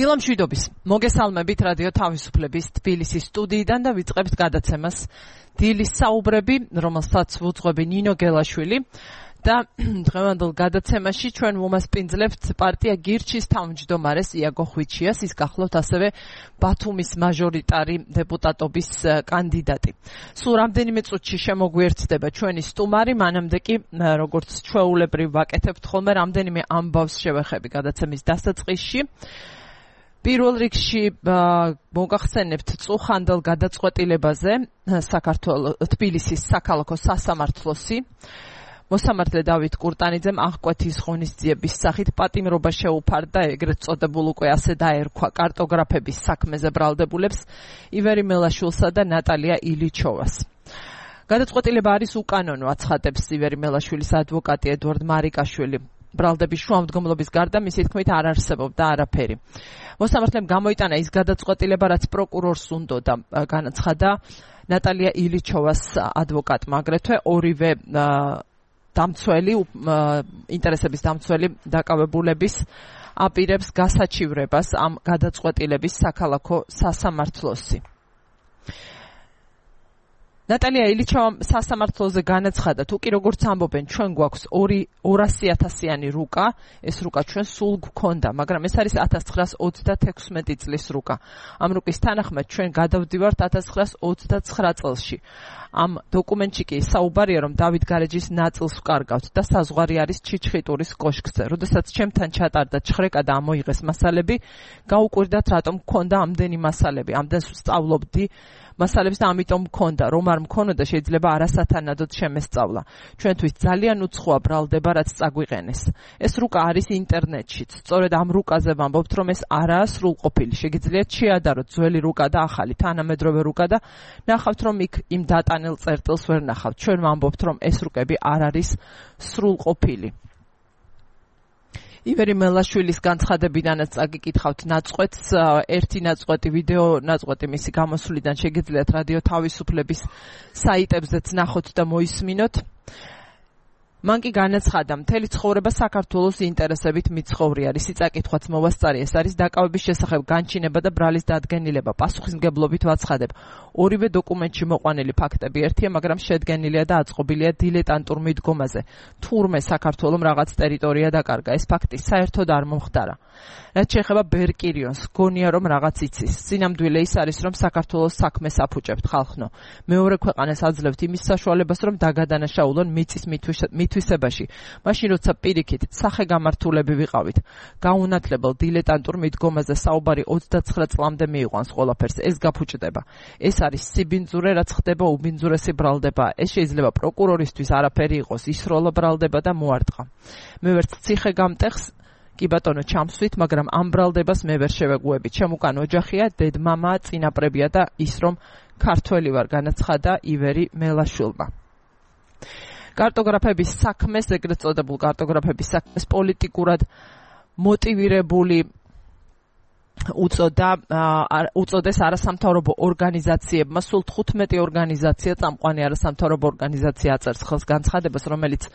დილამშვიდობის მოგესალმებით რადიო თავისუფლების თბილისის სტუდიიდან და ვიწყებთ გადაცემას დილის საუბრები, რომელსაც ვუძღვები ნინო გელაშვილი და დღევანდელ გადაცემაში ჩვენ ვუმასპინძლებთ პარტია გირჩის თავმჯდომარეს იაგო ხვიჩიას, ის გახლავთ ასევე ბათუმის მაჟორიტარი დეპუტატობის კანდიდატი. სულ რამდენიმე წუთში შემოგვიერთდება ჩვენი სტუმარი, მანამდე კი როგორც ჩვეულებრივ ვაკეთებთ ხოლმე რამდენიმე ამბავს შევეხები გადაცემის დასაწყისში. პირველ რიგში მოგახსენებთ წუხანდელ გადაწყვეტილებაზე თბილისის საქალაქო სასამართლოსი მოსამართლე დავით კურტანიძემ აღკვეთის ღონისძიების სახით პატიმრობა შეუფარდა ეგრეთ წოდებულ უკვე ასე დაერქვა კარტოგრაფების საქმეზე ბრალდებულებს ივერი მელაშვილსა და ნატალია ილიჩოვას. გადაწყვეტილება არის უკანონო, აცხადებს ივერი მელაშვილის ადვოკატი ედვარდ მარიკაშვილი. ბრალდების შუამდგომლობის გარდა მისი თქმით არ არსებობდა არაფერი. მოსამართლემ გამოიტანა ის გადაწყვეტილება, რაც პროკურორს უნდოდა, განაცხადა ნატალია ილიჩოვას ადვოკატმა, აგრეთვე ორივე დამცველი, ინტერესების დამცველი დაკავებულების აპირებს გასაჩივრებას ამ გადაწყვეტილების საქალაქო სასამართლოსი. ნატალია ილიჩოვამ სასამართლოზე განაცხადა, თუ კი როგორც ამბობენ, ჩვენ გვაქვს 200,000-იანი რუკა, ეს რუკა ჩვენ სულ გვქონდა, მაგრამ ეს არის 1936 წლის რუკა. ამ რუკის თანახმად ჩვენ გადავდივართ 1929 წელში. ამ დოკუმენტში კი საუბარია, რომ დავით გარეჯის ნაწილს ვკარგავთ და საზღვარი არის ჩიჩხიტურის კოშკზე. როდესაც ჩემთან ჩატარდა ჩხრეკა და ამოიღეს მასალები, გაუკვირდათ რატომ მქონდა ამდენი მასალები, ამდენს ვსწავლობდი მასალებს და ამიტომ მქონდა, რომ არ მქონოდა შეიძლება არასათანადოდ შემესწავლა. ჩვენთვის ძალიან უცხოა ბრალდება, რაც წაგვიყენეს. ეს რუკა არის ინტერნეტშიც. სწორედ ამ რუკაზე ვამბობთ, რომ ეს არაა სრულყოფილი. შეგიძლიათ შეადაროთ ძველი რუკა და ახალი, თანამედროვე რუკა და ნახავთ, რომ იქ იმ დატანელ წერტილს ვერ ნახავთ. ჩვენ ვამბობთ, რომ ეს რუკები არ არის სრულყოფილი. ივერი მელაშვილის განცხადებიდანაც წაგიკითხავთ ნაწყვეტს, ერთი ნაწყვეტი, ვიდეო ნაწყვეტი მისი გამოსვლიდან შეგიძლიათ რადიო თავისუფლების საიტებზეც ნახოთ და მოისმინოთ. მან კი განაცხადა, მთელი ცხოვრება საქართველოს ინტერესებით მიცხოვრი არის. წაკითხვაც მოვასწარი, ეს არის დაკავების შესახებ განჩინება და ბრალის დადგენილება. პასუხისმგებლობით ვაცხადებ. ორივე დოკუმენტში მოყვანილი ფაქტები ერთია, მაგრამ შედგენილია და აწყობილია დილეტანტურ მიდგომაზე. თურმე საქართველოს რაღაც ტერიტორია დაკარგა. ეს ფაქტი საერთოდ არ მომხდარა. რაც შეეხება ბერკირიონს, გონია რომ რაღაც იცის. სინამდვილე ის არის, რომ საქართველოს საქმეს აფუჭებთ ხალხნო. მეორე ქვეყანას აძლევთ იმის საშუალებას, რომ დაგადანაშაულონ მიწის მითვისებაში. მაშინ როცა პირიქით სახეგამართულები ვიყავით. გაუნათლებელ დილეტანტურ მიდგომაზე საუბარი 29 წლამდე მიიყვანს ყველაფერს. ეს გაფუჭდება. ეს არის სიბინძურე, რაც ხდება უბინძურესი ბრალდება. ეს შეიძლება პროკურორისთვის არაფერი იყოს, ისროლა ბრალდება და მოარტყა. მე ვერც ციხე გამტეხს კი ბატონო ჩამსვით, მაგრამ ამ ბრალდებას მე ვერ შევეგუები. ჩემ უკან ოჯახია, დედმამაა, წინაპრებია და ის რომ ქართველი ვარ, განაცხადა ივერი მელაშვილმა. კარტოგრაფების საქმეს, ეგრეთ წოდებულ კარტოგრაფების საქმეს პოლიტიკურად მოტივირებული უწოდეს არასამთავრობო ორგანიზაციებმა. სულ 15 ორგანიზაცია წამყვანი არასამთავრობო ორგანიზაცია აწერს ხელს განცხადებას, რომელიც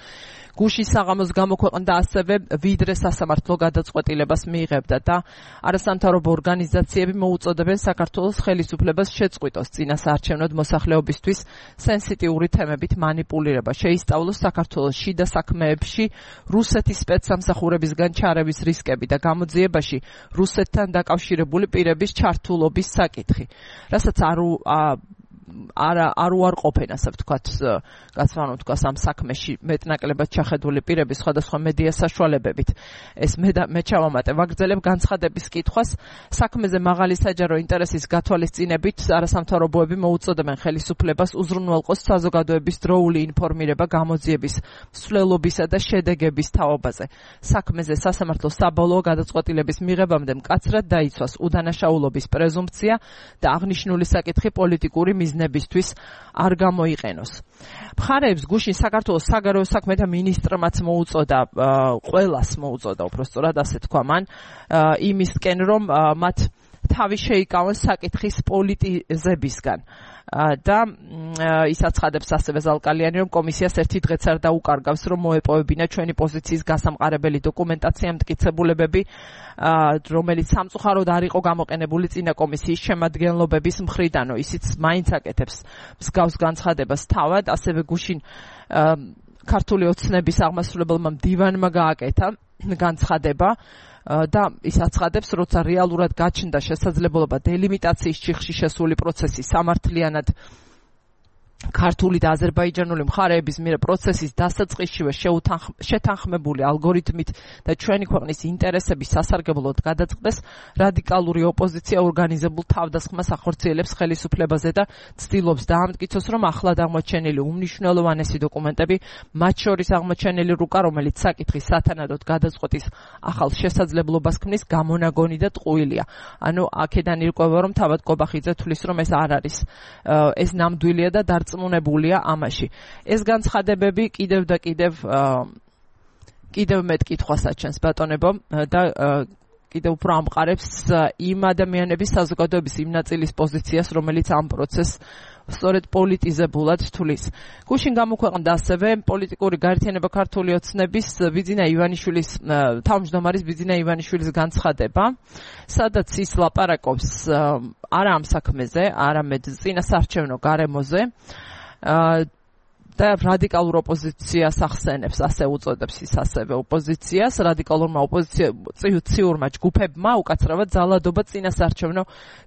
გუშინ საღამოს გამოქვეყნდა, ასევე ვიდრე სასამართლო გადაწყვეტილებას მიიღებდა და არასამთავრობო ორგანიზაციები მოუწოდებენ საქართველოს ხელისუფლებას შეწყვიტოს წინასაარჩევნოდ მოსახლეობისთვის სენსიტიური თემებით მანიპულირება, შეისწავლოს საქართველოს შიდა საქმეებში რუსეთის სპეცსამსახურებისგან ჩარევის რისკები და გამოძიებაში რუსეთთან დაკავშირებული პირების ჩართულობის საკითხი, რასაც არ უარყოფენ, ასე ვთქვათ, გასვანოთ ამ საქმეში მეტნაკლებად ჩახედული პირები სხვადასხვა მედია საშუალებებით. ეს მე ჩავამატე, ვაგრძელებ განცხადების კითხვას. საქმეზე მაღალი საჯარო ინტერესის გათვალისწინებით არასამთავრობოები მოუწოდებენ ხელისუფლებას უზრუნველყოს საზოგადოების დროული ინფორმირება გამოძიების მსვლელობისა და შედეგების თაობაზე. საქმეზე სასამართლო საბოლოო გადაწყვეტილების მიღებამდე მკაცრად დაიცვას უდანაშაულობის პრეზუმპცია და აღნიშნული საკითხი პოლიტიკური მიზნებისთვის არ გამოიყენოს. მხარეებს გუშინ საქართველოს საგარეო საქმეთა მინისტრმაც მოუწოდა, ყველას მოუწოდა, უბრალოდ ასე თქვა მან, იმისკენ რომ მათ თავი შეიკავონ საკითხის პოლიტიზებისგან. და ის აცხადებს ასევე ზალკალიანი, რომ კომისიას ერთი დღეც არ დაუკარგავს, რომ მოეპოვებინა ჩვენი პოზიციის გასამყარებელი დოკუმენტაცია, მტკიცებულებები, რომელიც სამწუხაროდ არ იყო გამოყენებული წინა კომისიის შემადგენლობების მხრიდანო. ისიც მაინც აკეთებს მსგავს განცხადებას თავად, ასევე გუშინ ქართული ოცნების აღმასრულებელმა მდივანმა გააკეთა განცხადება და ის აცხადებს, როცა რეალურად გაჩნდა შესაძლებლობა დელიმიტაციის ჩიხში შესული პროცესი სამართლიანად ქართული და აზერბაიჯანული მხარეების მიერ პროცესის დასაწყისშივე შეთანხმებული ალგორითმით და ჩვენი ქვეყნის ინტერესების სასარგებლოდ გადაწყდეს, რადიკალური ოპოზიცია ორგანიზებულ თავდასხმას ახორციელებს ხელისუფლებაზე და ცდილობს დაამტკიცოს, რომ ახლად აღმოჩენილი უმნიშვნელოვანესი დოკუმენტები, მათ შორის აღმოჩენილი რუკა, რომელიც საკითხის სათანადოდ გადაწყვეტის ახალ შესაძლებლობას ქმნის, გამონაგონი და ტყუილია. ანუ აქედან ირკვევა, რომ თავად კობახიძე თვლის, რომ ეს არ არის, ეს ნამდვილია და წმუნებულია ამაში. ეს განცხადებები კიდევ მეტ კითხვას აჩენს ბატონებო და კიდევ უფრო ამყარებს იმ ადამიანების საზოგადოების იმ ნაწილის პოზიციას, რომელიც ამ პროცესს სწორედ პოლიტიზებულად თulis. გუშინ გამოქვეყნდა ასევე პოლიტიკური გაერთიანება ქართული ოცნების თავმჯდომარის ბიძინა ივანიშვილის განცხადება, სადაც ის ლაპარაკობს არა ამ საქმეზე, არამედ წინასარჩევნო გარემოზე და რადიკალურ ოპოზიციას ახსენებს, ასე უწოდებს ის ასევე ოპოზიციას, რადიკალურმა ოპოზიციურმა ჯგუფებმა უკაცრავად ძალადობა წინასარჩევნო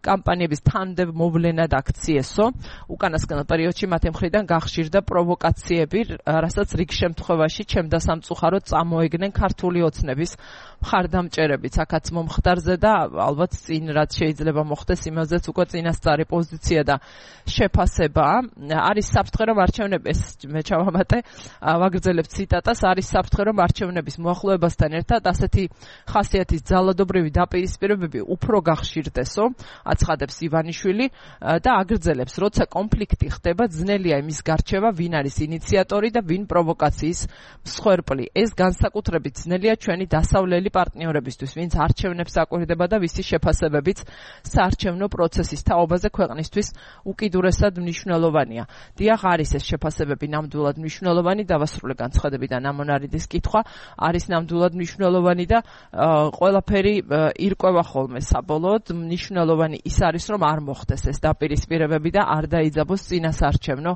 კამპანიების თანმდევ მოვლენად აქციესო. უკანასკნელ პერიოდში მათი მხრიდან გახშირდა პროვოკაციები, რასაც რიგ შემთხვევაში ჩემდა სამწუხაროდ წამოეგნენ ქართული ოცნების მხარდამჭერებიც. აქაც მომხდარზე და ალბათ წინ რაც შეიძლება მოხდეს, იმაზეც უკვე წინასწარი პოზიცია და შეფასება არის საფრთხე, რომ არჩევნების მე ჩავამატე, ვაგრძელებ ციტატას, არის საფრთხე, რომ არჩევნების მოახლოებასთან ერთად ასეთი ხასიათის ძალადობრივი დაპირისპირებები უფრო გახშირდესო, აცხადებს ივანიშვილი და აგრძელებს, როცა კონფლიქტი ხდება, ძნელია იმის გარჩევა, ვინ არის ინიციატორი და ვინ პროვოკაციის მსხვერპლი. ეს განსაკუთრებით ძნელია ჩვენი დასავლელი პარტნიორებისთვის, ვინც არჩევნებს აკვირდება და ვისი შეფასებებიც საარჩევნო პროცესის თაობაზე ქვეყნისთვის უკიდურესად მნიშვნელოვანია. დიახ, არის ეს შეფასებები ნამდვილად მნიშვნელოვანი, დავასრულე განცხადებიდან ამონარიდის კითხვა, არის ნამდვილად მნიშვნელოვანი და ყველაფერი ირკვევა ხოლმე საბოლოოდ. მნიშვნელოვანი ის არის, რომ არ მოხდეს ეს დაპირისპირებები და არ დაიძაბოს წინასარჩევნო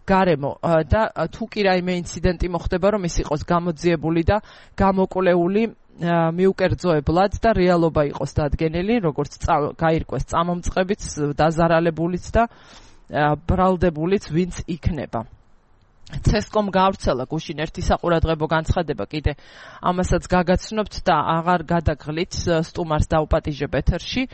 გარემო და თუ კი რაიმე ინციდენტი მოხდება, რომ ის იყოს გამოძიებული და გამოკვლეული მიუკერძოებლად და რეალობა იყოს დადგენილი, როგორც გაირკვეს წამომწყებიც, დაზარალებულიც და ბრალდებულიც ვინც იქნება. CESCOM გაავრცელა გუშინ ერთი საყურადღებო განცხადება, კიდე ამასაც გაგაცნობთ და აღარ გადაგღლით, სტუმარს დაუპატიჟებ ეთერში.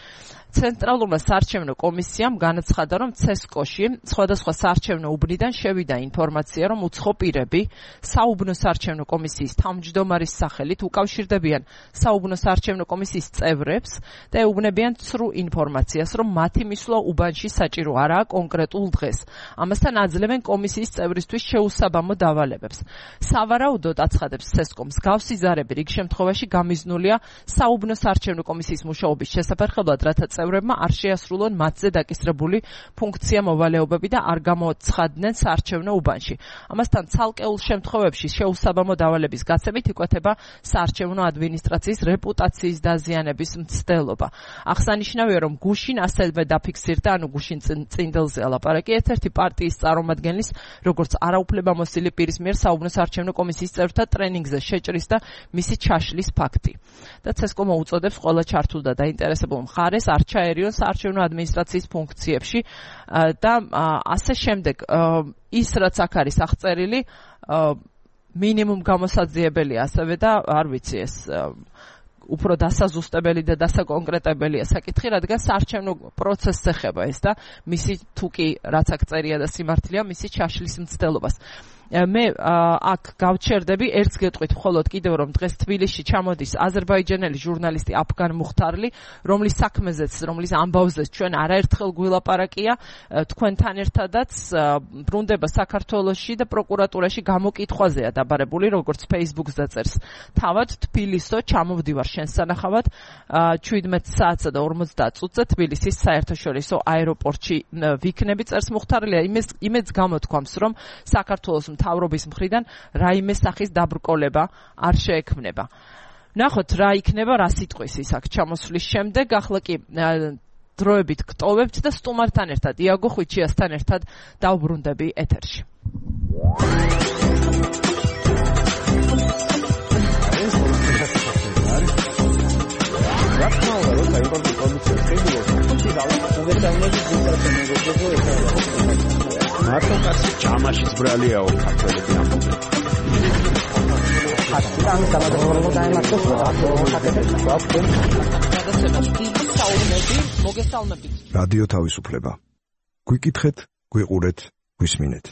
ცენტრალურმა საარჩევნო კომისიამ განაცხადა, რომ CESCO-ში სხვადასხვა საარჩევნო უბნიდან შევიდა ინფორმაცია, რომ უცხო პირები საუბნო საარჩევნო კომისიის თავმჯდომარის სახელით უკავშირდებიან საუბნო საარჩევნო კომისიის წევრებს და ეუბნებიან ცრუ ინფორმაციას, რომ მათი მისვლა უბანში საჭირო არაა კონკრეტულ დღეს. ამასთან აძლევენ კომისიის წევრისთვის შეუსაბამო დავალებებს. სავარაუდოდ აცხადებს CESCO, მსგავსი ზარები რიგ შემთხვევაში გამიზნულია საუბნო საარჩევნო კომისიის მუშაობის შესაფერხებლად, რათა წევრებმა არ შეასრულონ მათზე დაკისრებული ფუნქცია მოვალეობები და არ გამოცხადდნენ საარჩევნო უბანში. ამასთან ცალკეულ შემთხვევებში შეუსაბამო დავალების გაცემით იკვეთება საარჩევნო ადმინისტრაციის რეპუტაციის დაზიანების მცდელობა. აღსანიშნავია, რომ გუშინ ასევე დაფიქსირდა, გუშინ წინდელზე ლაპარაკი, ერთ-ერთი პარტიის წარმომადგენლის, როგორც არაუფლებამოსილი პირის მიერ საუბნო საარჩევნო კომისიის წევრთა ტრენინგზე შეჭრის და მისი ჩაშლის ფაქტი. და CESCO მოუწოდებს ყველა ჩართულ და დაინტერესებულ მხარეს არ ჩაერიონ საარჩევნო ადმინისტრაციის ფუნქციებში და ასე შემდეგ. ის რაც აქ არის აღწერილი, მინიმუმ გამოსაძიებელია ასევე და არ ვიცი ეს უფრო დასაზუსტებელი და დასაკონკრეტებელია საკითხი, რადგან საარჩევნო პროცესს ეხება ეს და მისი თუ კი რაც აქ წერია და სიმართლეა, მისი ჩაშლის მცდელობას. მე აქ გავჩერდები ერთს გეტყვით მხოლოდ კიდევ რომ დღეს თბილისში ჩამოდის აზერბაიჯანელი ჟურნალისტი აფგან მუხთარლი, რომლის საქმეზეც, რომლის ამბავზეც ჩვენ არაერთხელ გვილაპარაკია თქვენთან ერთადაც ბრუნდება საქართველოში და პროკურატურაში გამოკითხვაზეა დაბარებული, როგორც Facebook-ს დაწერს. თავად თბილისო ჩამოვდივარ შენ სანახავად 17 საათსა და 50 წუთზე თბილისის საერთაშორისო აეროპორტში ვიქნები, წერს მუხთარლია. იმედს გამოთქვამს, რომ საქართველოს მთავრობის მხრიდან რაიმე სახის დაბრკოლება არ შეექმნება. ნახოთ რა იქნება, რა სიტყვის ის აქ ჩამოსვლის შემდეგ. ახლა კი დროებით გტოვებთ და სტუმართან ერთად, იაგო ხვიჩიასთან ერთად დავბრუნდები ეთერში. მართლა კაცი ჯამაშიც ბრალიაო ქართველები ამბობენ. რადიო თავისუფლება. გვიკითხეთ, გვიყურეთ, გვისმინეთ.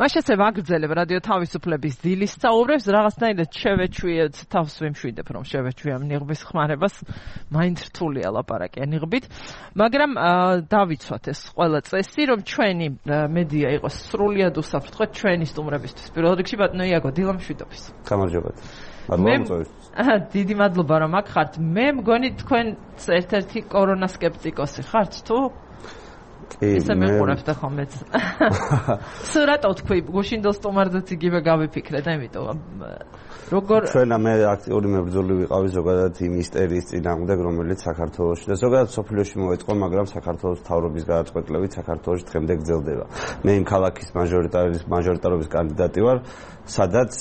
მაშასე ვაგრძელებ რადიო თავისუფლების დილის საუბრებს, რაღაცნაირად შევეჩვიეთ, თავს ვიმშვიდებ, რომ შევეჩვია ნიღბის ხმარებას, მაინც რთულია ლაპარაკია ნიღბით, მაგრამ დავიცვათ ეს ყველა წესი, რომ ჩვენი მედია იყოს სრულიად უსაფრთხო ჩვენი სტუმრებისთვის. პირველ რიგში ბატონო იაგო, დილა მშვიდობის. გამარჯობათ. დიდი მადლობა რომ აქ ხართ. მე მგონი თქვენ ერთ-ერთი კორონა სკეპტიკოსი ხართ თუ? ისე მეყურებთ ხომეც. სურათო თქვი, გუშინდელ სტუმარზეც იგივე გავიფიქრე და იმიტომ როგორ ჩვენა მე აქტიური მებრძოლი ვიყავი ზოგადად იმ ისტერიის წინააღმდეგ, რომელიც საქართველოში და ზოგადად სოფლიოში მოეწყო, მაგრამ საქართველოს მთავრობის გადაწყვეტილებით საქართველოში დღემდე გრძელდება. მე იმ ქალაქის მაჟორიტარობის კანდიდატი ვარ, სადაც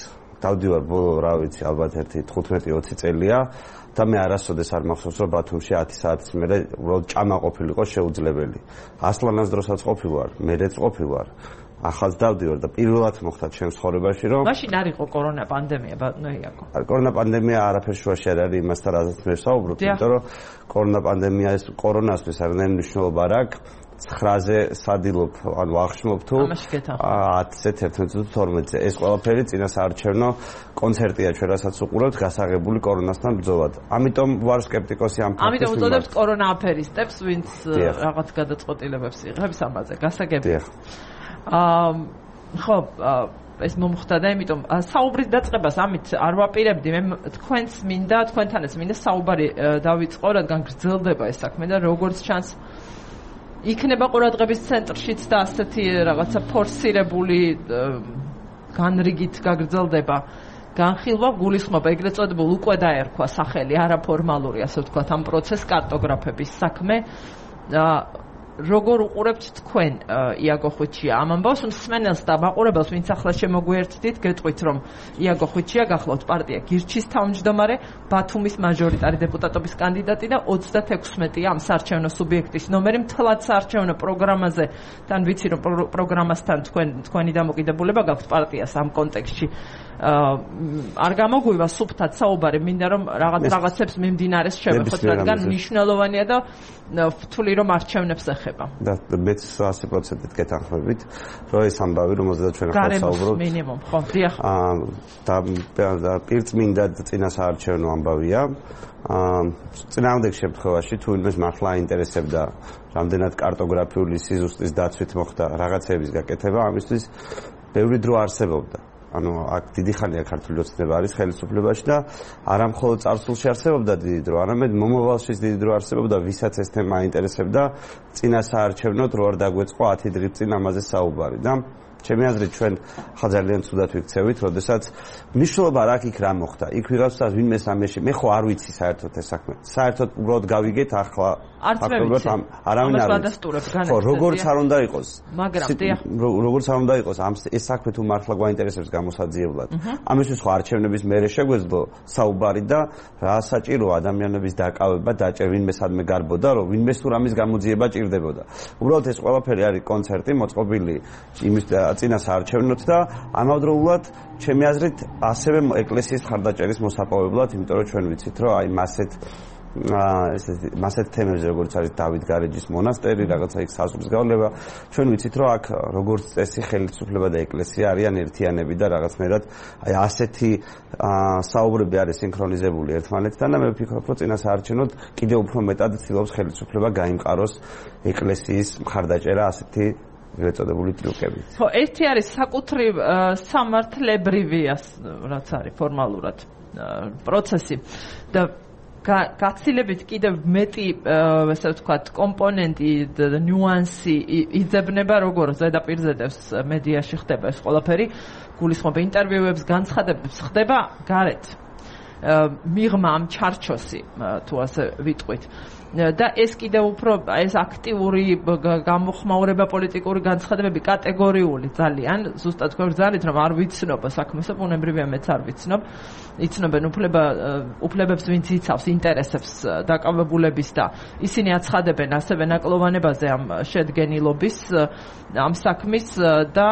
დავდივარ ბოლო, რა ვიცი, ალბათ ერთი 15-20 წელია და მე არასოდეს არ მახსოვს, რომ ბათუმში 10 საათის მერე უბრალოდ ჭამა ყოფილიყო შეუძლებელი. ასლანას დროსაც ყოფილვარ, მერეც ყოფილვარ. ახალს დავდივარ და პირველად მოხდა ჩემს ცხოვრებაში, რომ მაშინ არ იყო კორონა პანდემია, ბატონო იაგო. კორონა პანდემია არაფერ შუაში არ არის იმასთან, რაზეც მე ვსაუბრობ, იმიტომ რომ კორონა პანდემია ეს კორონასთვის არანაირი მნიშვნელობა არ აქვს. 9-ზე სადილობ, ანუ აღშმობ თუ 10-ზე 11-12-ზე. ეს ყველაფერი წინასაარჩევნო კონცერტია ჩვენ რასაც უყურებთ გასაღებული კორონასთან ბრძოლად. ამიტომ ვარ სკეპტიკოსი ამ ფაქტის. ამიტომ უწოდებთ კორონა აფერისტებს, ვინც რაღაც გადაწყვეტილებებს იღებს ამაზე. გასაგები. ხო, ეს მომხდა და იმიტომ საუბრის დაწყებას ამით არ ვაპირებდი. მე თქვენს მინდა, თქვენთანაც მინდა საუბარი დავიწყო, რადგან გრძელდება ეს საქმე და როგორც ჩანს იქნება ყურადღების ცენტრშიც და ასეთი რაღაცა ფორსირებული განრიგით გაგრძელდება განხილვა, გულისხმობა, ეგრეთ წოდებულ უკვე დაერქვა სახელი არაფორმალური, ასე ვთქვათ, ამ პროცეს კარტოგრაფების საქმე. როგორ უყურებთ თქვენ იაგო ხვიჩია ამ ამბავს, მსმენელს და მაყურებელს, ვინც ახლა შემოგვიერთდით, გეტყვით, რომ იაგო ხვიჩია გახლავთ პარტია გირჩის თავმჯდომარე, ბათუმის მაჟორიტარი დეპუტატობის კანდიდატი და 36-ია ამ საარჩევნო სუბიექტის ნომერი. მთლად საარჩევნო პროგრამაზე, თან ვიცი, რომ პროგრამასთან თქვენი დამოკიდებულება გაქვთ პარტიას ამ კონტექსტში. არ გამოგვივა სუფთად საუბარი, მინდა რომ რაღაცებს მიმდინარეს შევეხოთ, რადგან მნიშვნელოვანია და ვთვლი რომ არჩევნებს ეხება. და მეც 100%-ით გეთანხმებით, რომ ეს ამბავი, რომელზეც ჩვენ ახლა საუბრობთ, მინიმუმ, ხო, დიახ. და პირწმინდა წინასაარჩევნო ამბავია. წინააღმდეგ შემთხვევაში თუ იმას მართლა აინტერესებდა რამდენად კარტოგრაფიული სიზუსტის დაცვით მოხდა რაღაცების გაკეთება, ამისთვის ბევრი დრო არსებობდა. ანუ აქ დიდი ხანია ქართული ოცნება არის ხელისუფლებაში და არა მხოლოდ წარსულში არსებობდა დიდი დრო, არამედ მომავალშიც დიდი დრო არსებობდა, ვისაც ეს თემა აინტერესებდა, წინასაარჩევნოდ რო არ დაგვეწყო 10 დღის წინ ამაზე საუბარი და ჩემი აზრით ჩვენ ხა ძალიან ცუდად ვიქცევით, როდესაც მნიშვნელობა რა იქ რა მოხდა. იქ ვიღაცას ვინმე სამეში, მე ხო არ ვიცი საერთოდ ეს საქმე. საერთოდ უბრალოდ გავიგეთ ახლა ფაქტობრივად არავინ არ გადასტურებს განაცხადია. ხო, როგორც არ უნდა იყოს. მაგრამ როგორც არ უნდა იყოს, ეს საქმე თუ მართლა გვაინტერესებს გამოსაძიებლად. ამისთვის ხო არჩევნების მერე შეგვეძლო საუბარი და რა საჭირო ადამიანების დაკავება, ვინმე სადმე გარბოდა, რომ ვინმე თუ რამის გამოძიება ჭირდებოდა. უბრალოდ ეს ყველაფერი არის კონცერტი, მოწყობილი იმის წინასაარჩევნოთ და ამავდროულად ჩემი აზრით ასევე ეკლესიის მხარდაჭერის მოსაპოვებლად, იმიტომ რომ ჩვენ ვიცით, რომ აი მასეთ მასეთ თემებზე როგორც არის დავით გარეჯის მონასტერი, რაღაცა იქ საზღვრის გავლება. ჩვენ ვიცით, რომ აქ როგორც წესი ხელისუფლება და ეკლესია არიან ერთიანები და რაღაცნაირად აი ასეთი საუბრები არის სინქრონიზებული ერთმანეთთან და მე ვფიქრობ, რომ წინასაარჩევნოდ კიდევ უფრო მეტად ცდილობს ხელისუფლება გაიმყაროს ეკლესიის მხარდაჭერა ასეთი ეწოდებული ტრიუკებით. ხო, ერთი არის საკუთრივ სამართლებრივია, რაც არის ფორმალურად პროცესი და გაცილებით კიდევ მეტი, ასე ვთქვათ, კომპონენტი და ნიუანსი იძებნება, როგორ ზედაპირზედებს მედიაში ხდება ეს ყველაფერი, გულისხმობა ინტერვიუებს, განცხადებებს ხდება გარეთ. მიღმა ამ ჩარჩოსი, თუ ასე ვიტყვით. და ეს კიდევ უფრო ეს აქტიური გამოხმაურება პოლიტიკური განცხადებები კატეგორიული ძალიან ზუსტად გვერდზარით რომ არ ვიცნობ საქმესო ბუნებრივია მეც არ ვიცნობ იცნობენ უფლებებს ვინც იცავს ინტერესებს დაკავებულების და ისინი აცხადებენ ასევე ნაკლოვანებაზე ამ შედგენილობის ამ საქმის და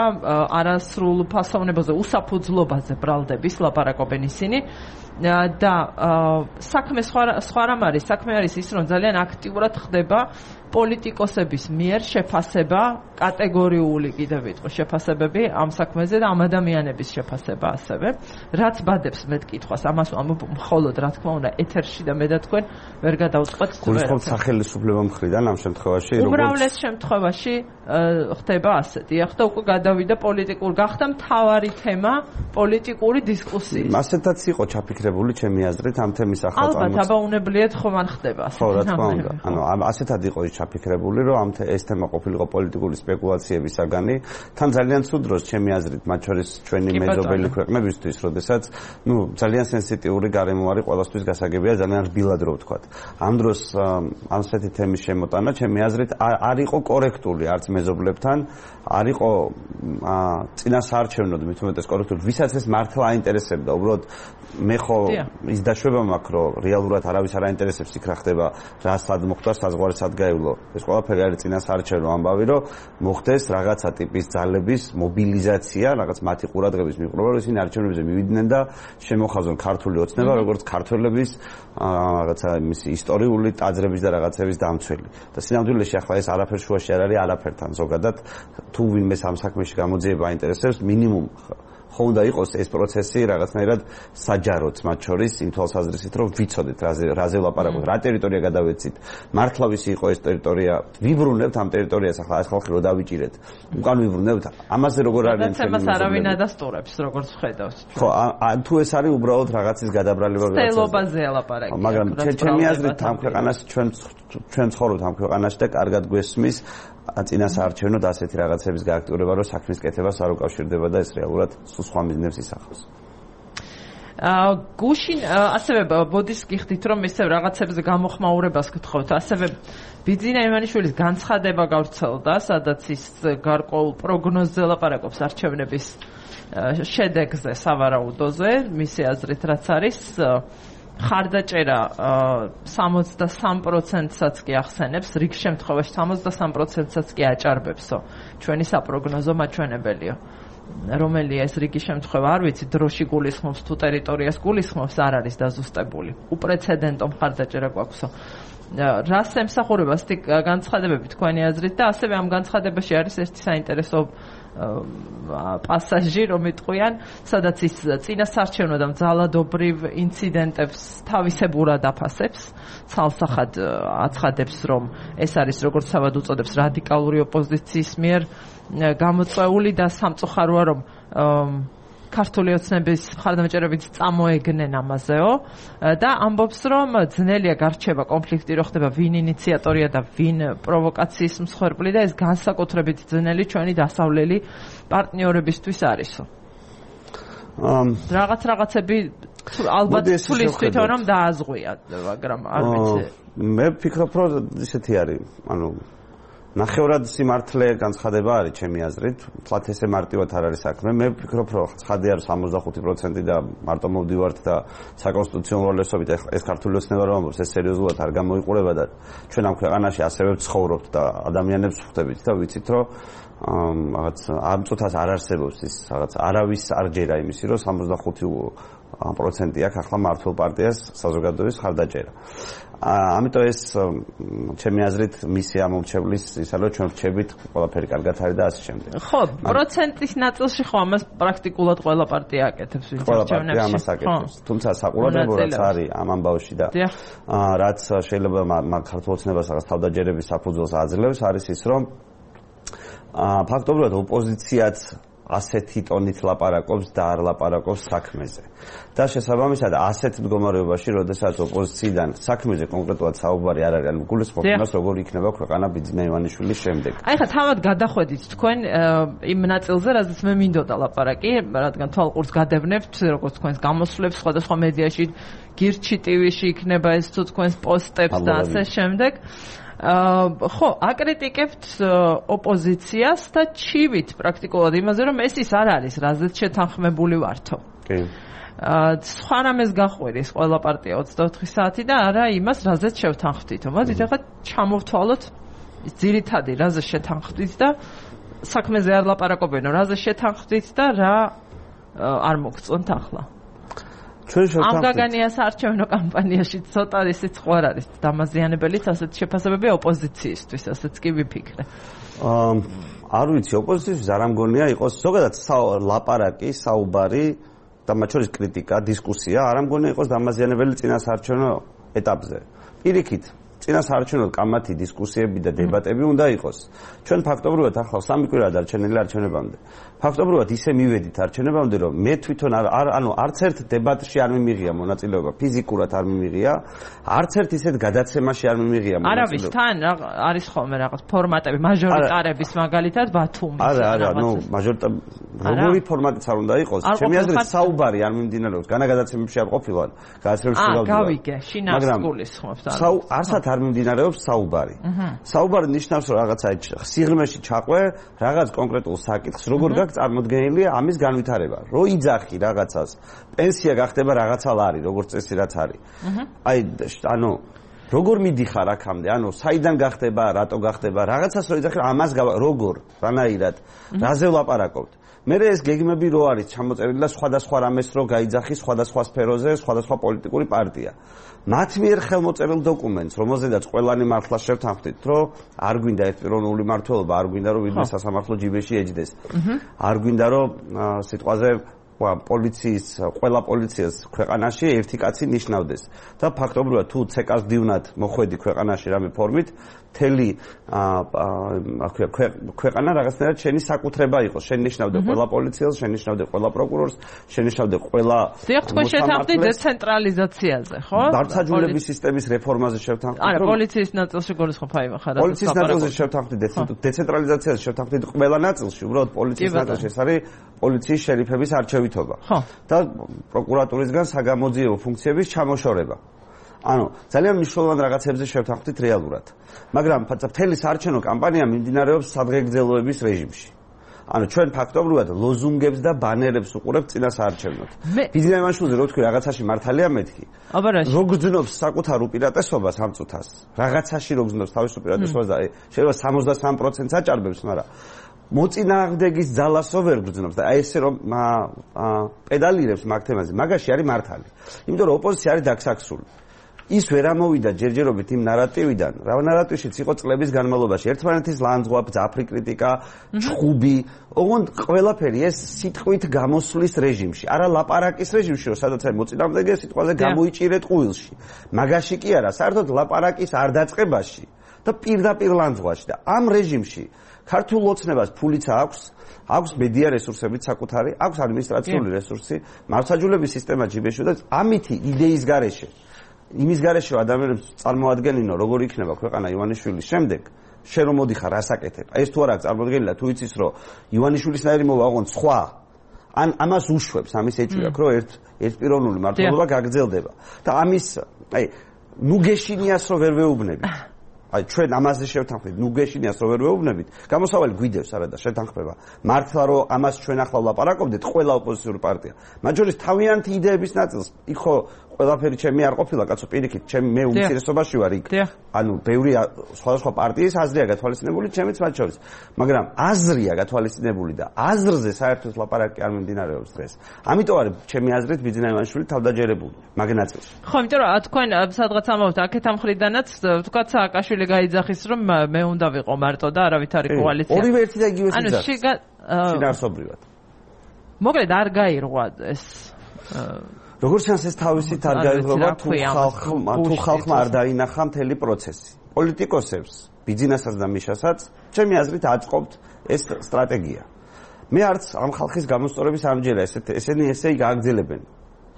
არასრულ ფასოვნებაზე უსაფუძვლობაზე ბრალდების ლაპარაკობენ ისინი და საქმე სხვა რამ არის საქმე არის ის რომ ძალიან აქტიურად ხდება პოლიტიკოსების მიერ შეფასება კატეგორიული კიდევ ვიტყვი შეფასებები ამ საქმეზე და ამ ადამიანების შეფასება ასევე რაც ბადებს მე კითხვას ამას მხოლოდ რა თქმა უნდა ეთერში და მე და თქვენ ვერ გადავწყვეტთ გულისხმობთ სახელმწიფო მხრიდან ამ შემთხვევაში უბრალოდ შემთხვევაში ხდება ასეთი ახლა უკვე გადავიდა პოლიტიკურ გახდა მთავარი თემა პოლიტიკური დისკუსიის მასეთაც იყო ჩაფიქრებული ჩემი აზრით ამ თემის ახალ ალბათ აბაუნებლიეთ ხომ არ ხდება ხო რა თქმა უნდა ანუ ასეთად იყო ჩაფიქრებული რომ ეს თემა ყოფილიყო პოლიტიკური სპეკულაციების საგანი თან ძალიან ცუდ დროს ჩემი აზრით მათ შორის ჩვენი მეზობელი ქვეყნებისთვის როდესაც ძალიან სენსიტიური გარემო არის ყველასთვის გასაგებია ძალიან რბილად რო ვთქვათ ამ დროს ასეთი თემის შემოტანა ჩემი აზრით არ იყო კორექტული არც მეზობლებთან არ იყო წინასაარჩევნოდ მით უმეტეს კორექტული ვისაც ეს მართლა აინტერესებდა უბრალოდ მე ხო ის დაშვება მაქვს რომ რეალურად არავის არ აინტერესებს იქ რა ხდება რა სად მოხდა საზღვარი სად გაევლო ეს ყველაფერი არის წინასაარჩევნო ამბავი რომ მოხდეს რაღაცა ტიპის ძალების მობილიზაცია რაღაც მათი ყურადღების მიყრობა რომ ისინი არჩევნებზე მივიდნენ და შემოხაზონ ქართული ოცნება როგორც ქართველების რაღაცა მისი ისტორიული ტაძრების და რაღაცების დამცველი და სინამდვილეში ახლა ეს არაფერ შუაში არ არის არაფერთან ზოგადად თუ ვინმე ამ საქმეში გამოძიება აინტერესებს მინიმუმ ხო უნდა იყოს ეს პროცესი რაღაცნაირად საჯაროდ მათ შორის იმ თვალსაზრისით რომ ვიცოდეთ რაზე ლაპარაკობთ რა ტერიტორია გადავეცით მართლა ვისი იყო ეს ტერიტორია ვიბრუნებთ ამ ტერიტორიას ახლა ეს ხალხი რო დავიჭირეთ უკან ვიბრუნებთ ამაზე როგორ არის ჩვენი არავინ ადასტურებს როგორც ხედავს ხო თუ ეს არის უბრალოდ რაღაცის გადაბრალება სტელობაზე ლაპარაკი მაგრამ ჩემი აზრით ამ ქვეყანაში ჩვენ ცხოვრობთ ამ ქვეყანაში და კარგად გვესმის წინასაარჩევნოდ ასეთი რაღაცების გააქტიურება, რომ საქმის კეთებას არ უკავშირდება და ეს რეალურად სულ სხვა მიზნებს ისახავს. გუშინ ასევე ბოდის გიხდით, რომ ისევ რაღაცებზე გამოხმაურებას გთხოვთ, ასევე ბიძინა ივანიშვილის განცხადება გავრცელდა, სადაც ის გარკვეულ პროგნოზზე ლაპარაკობს არჩევნების შედეგზე, სავარაუდოზე, მისი აზრით რაც არის ხარდაჭერა 63%-საც კი ახსენებს, რიგ შემთხვევაში 63%-საც კი აჭარბებსო. ჩვენი საპროგნოზო მაჩვენებელიო. რომელია ეს რიგი შემთხვევა, არ ვიცი, დროში გულისხმობს თუ ტერიტორიას გულისხმობს, არ არის დაზუსტებული. უპრეცედენტო ხარდაჭერა გვაქვსო. რას ემსახურება ასეთი განცხადებები თქვენი აზრით და ასევე ამ განცხადებაში არის ერთი საინტერესო პასაჟი რომ იტყვიან, სადაც ის წინასაარჩევნო და ძალადობრივ ინციდენტებს თავისებურად აფასებს, ცალსახად აცხადებს, რომ ეს არის როგორც თავად უწოდებს რადიკალური ოპოზიციის მიერ გამოწვეული და სამწუხაროა რომ ქართული ოცნების მხარდამჭერებით წამოეგნენ ამაზეო და ამბობს რომ ძნელია გარჩევა კონფლიქტი რო ხდება ვინ ინიციატორია და ვინ პროვოკაციის მსხვერპლი და ეს განსაკუთრებით ძნელი ჩვენი დასავლელი პარტნიორებისთვის არისო. რაღაცები ალბათ თulis თვითონ რომ დააზღვია, მაგრამ არ ვიცი. მე ვფიქრობ რომ ისეთი არის, ანუ ნახევრად სიმართლე განცხადება არის ჩემი აზრით, თლათ ესე მარტივად არ არის საქმე. მე ვფიქრობ რომ ცხადია რომ 65% და მარტო მოვდივართ და საკონსტიტუციო უმრავლესობით ეს ქართული ოცნება რომ ამბობს, ეს სერიოზულად არ გამოიყურება და ჩვენ ამ ქვეყანაში ასევე ვცხოვრობთ და ადამიანებს ვხვდებით და ვიცით რომ რაღაც ამ წუთას არ არსებობს ის რაღაც არავის არ ჯერა იმისი რომ პროცენტი აქვს ახლა მართლ პარტიას საზოგადოების ხარდაჭერა. ამიტომ ეს ჩემი აზრით მისი ამორჩევლის ისა რომ ჩვენ ვჩებით ყველაფერი კარგად არის და ასე შემდეგ. ხო, პროცენტის ნაწილში ხო ამას პრაქტიკულად ყველა პარტია აკეთებს ვინც ყველა პარტია ამას აკეთებს. თუმცა საყურადღებო რაც არის ამ ამბავში და რაც შეიძლება ქართულ ოცნებას რაღაც თავდაჯერების საფუძველს აძლევს არის ის რომ ფაქტობრივად ოპოზიციაც ასეთი ტონით ლაპარაკობს და არ ლაპარაკობს საქმეზე. და შესაბამისად ასეთ მდგომარეობაში, როდესაც ოპოზიციიდან საქმეზე კონკრეტულად საუბარი არ არის, გულისხმობ იმას, როგორ იქნება ქვეყანა ბიძინა ივანიშვილის შემდეგ. აი ხა თავად გადახვედით თქვენ იმ ნაწილზე, რაზეც მე მინდოდა ლაპარაკი, რადგან თვალყურს გადევნებთ, როგორც თქვენს გამოსვლებს სხვადასხვა მედიაში, გირჩი ტივიში იქნება ეს თუ თქვენს პოსტებს და ასე შემდეგ. ხო, აკრიტიკებთ ოპოზიციას და ჩივით პრაქტიკულად იმაზე, რომ ეს ის არ არის, რაზეც შეთანხმებული ვართო. კი. სხვა რამეს გაყვერის ყველა პარტია 24 საათი და არა იმას, რაზეც შევთანხმდითო. მოდით ახლა ჩამოვთვალოთ ძირითადი რაზე შეთანხმდით და საქმეზე არ ლაპარაკობენო, რაზე შეთანხმდით და რა არ მოგწონთ ახლა. ამ გაგანიას არჩევნო კამპანიაში ცოტა ისიც ხوار არის დამაზიანებელიც ასეთ შეფასებები ოპოზიციისთვის, ასეც კი ვიფიქრე. არ ვიცი, ოპოზიციის არ ამგონია იყოს ზოგადად ლაპარაკი, საუბარი და მათ შორის კრიტიკა, დისკუსია არ ამგონია იყოს დამაზიანებელი წინასაარჩევნო ეტაპზე. პირიქით, წინასაარჩევნო კამათი, დისკუსიები და დებატები უნდა იყოს. ჩვენ ფაქტობრივად ახლა სამი კვირა დარჩენილი არჩევნებამდე. ფაქტობრივად ისე მივედით არჩევნებამდე, რომ მე თვითონ არც ერთ დებატში არ მიმიღია მონაწილეობა, ფიზიკურად არ მიმიღია, არც ერთ ისეთ გადაცემაში არ მიმიღია მონაწილეობა. არავის თან არის ხოლმე რაღაც ფორმატები, მაჟორიტარების მაგალითად ბათუმის. არა, როგორი ფორმატიც არ უნდა იყოს. ჩემი აზრით საუბარი არ მიმდინარეობს, განაგადაცემებში არ ყოფილა, გადაცემებში გავდივარ. გავიგე, შინავს გულისხმობთ. არსად არ მიმდინარეობს საუბარი. საუბარი ნიშნავს, რომ რაღაცა სიღრმეში ჩაყვე, რაღაც კონკრეტულ საკითხს, როგორ გაქვს წარმოდგენილია ამის განვითარება. რო იძახი რაღაცას, პენსია გახდება რაღაცა ლარი, როგორც წესი რაც არის. აი, როგორ მიდიხარ აქამდე? საიდან გახდება, რატო გახდება? რაღაცას რო იძახი, ამას როგორ, რანაირად, რაზე ვლაპარაკობთ? მე ეს გეგმები რო არის ჩამოწერილი და სხვადასხვა რამეს რო გაიძახი სხვადასხვა სფეროზე, სხვადასხვა პოლიტიკური პარტია. მათ მიერ ხელმოწერილ დოკუმენტს, რომელზედაც ყველანი მართლა შევთანხმდით, რომ არ გვინდა ერთპიროვნული მმართველობა, არ გვინდა რომ ვინმე სასამართლო ჯიბეში ეჯდეს. არ გვინდა რომ სიტყვაზე პოლიციის, ყველა პოლიციას ქვეყანაში ერთი კაცი ნიშნავდეს. და ფაქტობრივად თუ ცეკას დივნად მოხვედი ქვეყანაში რამე ფორმით, მთელი ქვეყანა რაღაცნაირად შენი საკუთრება იყოს. შენ ნიშნავდე ყველა პოლიციელს, შენ ნიშნავდე ყველა პროკურორს, შენ ნიშნავდე ყველა თქვენ შეთანხმდით დეცენტრალიზაციაზე, ხო? დარწმუნების სისტემის რეფორმაზე შევთანხმდით. არა, პოლიციის ნაწილში გულისხმობ აი ხარა. პოლიციის ნაწილში შევთანხმდით, დეცენტრალიზაციაზე შევთანხმდით ყველა ნაწილში, უბრალოდ პოლიციის ნაწილში ეს არის პოლიციის შერიფების არჩევითობა. და პროკურატურისგან საგამოძიებო ფუნქციების ჩამოშორება. ძალიან მნიშვნელოვან რაღაცებზე შევთანხმდით რეალურად. მაგრამ მთელი საარჩევნო კამპანია მიმდინარეობს სადღეგრძელოების რეჟიმში. ჩვენ ფაქტობრივად ლოზუნგებს და ბანერებს უყურებთ წინასაარჩევნოდ. ბიძინა ივანიშვილზე რო თქვი რაღაცაში მართალია მეთქი. რო გძნობს საკუთარ უპირატესობას ამ წუთას, რაღაცაში რო გძნობს თავის უპირატესობას და შეიძლება 63%-ს აჭარბებს, მაგრამ მოწინააღმდეგის ძალასო ვერ გძნობს და აი ესე რომ პედალირებს მაგ თემაზე, მაგაში არის მართალი. იმიტომ რომ ოპოზიცია არის დაგსაქსული. ის ვერ ამოვიდა ჯერჯერობით იმ ნარატივიდან, რა ნარატივშიც იყო წლების განმავლობაში. ერთმანეთის ლანძღვა, ძაფრი კრიტიკა, ჩხუბი, ოღონდ ყველაფერი ეს სიტყვით გამოსვლის რეჟიმში, არა ლაპარაკის რეჟიმში, რომ სადაც აი მოწინააღმდეგე სიტყვაზე გამოიჭირეთ ყუილში. მაგაში კი არა, საერთოდ ლაპარაკის არ დაწყებაში და პირდაპირ ლანძღვაში და ამ რეჟიმში ქართულ ოცნებას ფულიც აქვს მედია რესურსებით საკუთარი, აქვს ადმინისტრაციული რესურსი, მართლმსაჯულების სისტემა ჯიბეში და ამითი იდეის გარეშე იმის გარეშე რომ ადამიანებს წარმოადგენინო როგორ იქნება ქვეყანა ივანიშვილის შემდეგ, შენ რომ მოდიხარ ასაკეთებ. ეს თუ არ აქვს წარმოდგენილი, თუ იცის რომ ივანიშვილისნაირი მოვა ოღონდ სხვა, ამას უშვებს, ამის ეჭვია, რომ ერთპიროვნული მმართველობა გაგრძელდება. და ამის, ნუ გეშინიას რომ ვერ ვეუბნებით. ჩვენ ამაზე შევთანხმდით, ნუ გეშინიას რომ ვერ ვეუბნებით, გამოსავალი გვიდევს არა და შეთანხმება. მართლა რომ ამას ჩვენ ახლა ვლაპარაკობდეთ, ყველა ოპოზიციური პარტია. მათ შორის თავიანთი იდეების ნაწილს, იქ ხო ყველაფერი ჩემი არ ყოფილა, კაცო, პირიქით, მე უმცირესობაში ვარ იქ. ანუ ბევრი სხვადასხვა პარტიის აზრია გათვალისწინებული, ჩემიც მათ შორის. მაგრამ აზრია გათვალისწინებული და აზრზე საერთოდ ლაპარაკი არ მიმდინარეობს დღეს. ამიტომ არის ჩემი აზრით ბიძინა ივანიშვილი თავდაჯერებული მაგ ნაწილში. ხო, იმიტომ რომ თქვენ სადღაც ამბობთ აქეთ ამ ხრიდანაც თქვა სააკაშვილი გაიძახის რომ მე უნდა ვიყო მარტო და არავით არის კოალიცია. ორივე ერთი და იგივე სიძახი. შინაარსობრივად. მოკლედ არ გაირღვა ეს როგორც ჩანს ეს თავისით არ გაირღვა თუ ხალხმა არ დაინახა მთელი პროცესი. პოლიტიკოსებს, ბიძინასაც და მიშასაც, ჩემი აზრით აწყობთ ეს სტრატეგია. მე არც ამ ხალხის გამოსწორების ამჯერა ესენი ესე გააგრძელებენ.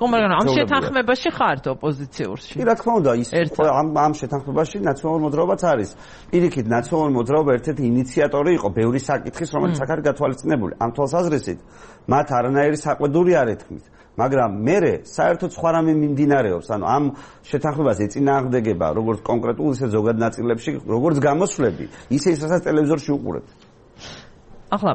მაგრამ ამ შეთანხმებაში ხართ ოპოზიციურში. კი, რა თქმა უნდა, ის ამ შეთანხმებაში ნაციონალური მოძრაობაც არის. პირიქით, ნაციონალური მოძრაობა ერთ-ერთი ინიციატორი იყო ბევრი საკითხის, რომელიც აქ არის გათვალისწინებული. ამ თვალსაზრისით, მათ არანაირი საყვედური არ ეთქმით. მაგრამ მე საერთოდ სხვა რამე მიმდინარეობს, ანუ ამ შეთანხმებას ეწინააღმდეგება როგორც კონკრეტულ ისე ზოგად ნაწილებში, როგორც გამოსვლები, ისე ის რასაც ტელევიზორში უყურებთ. ახლა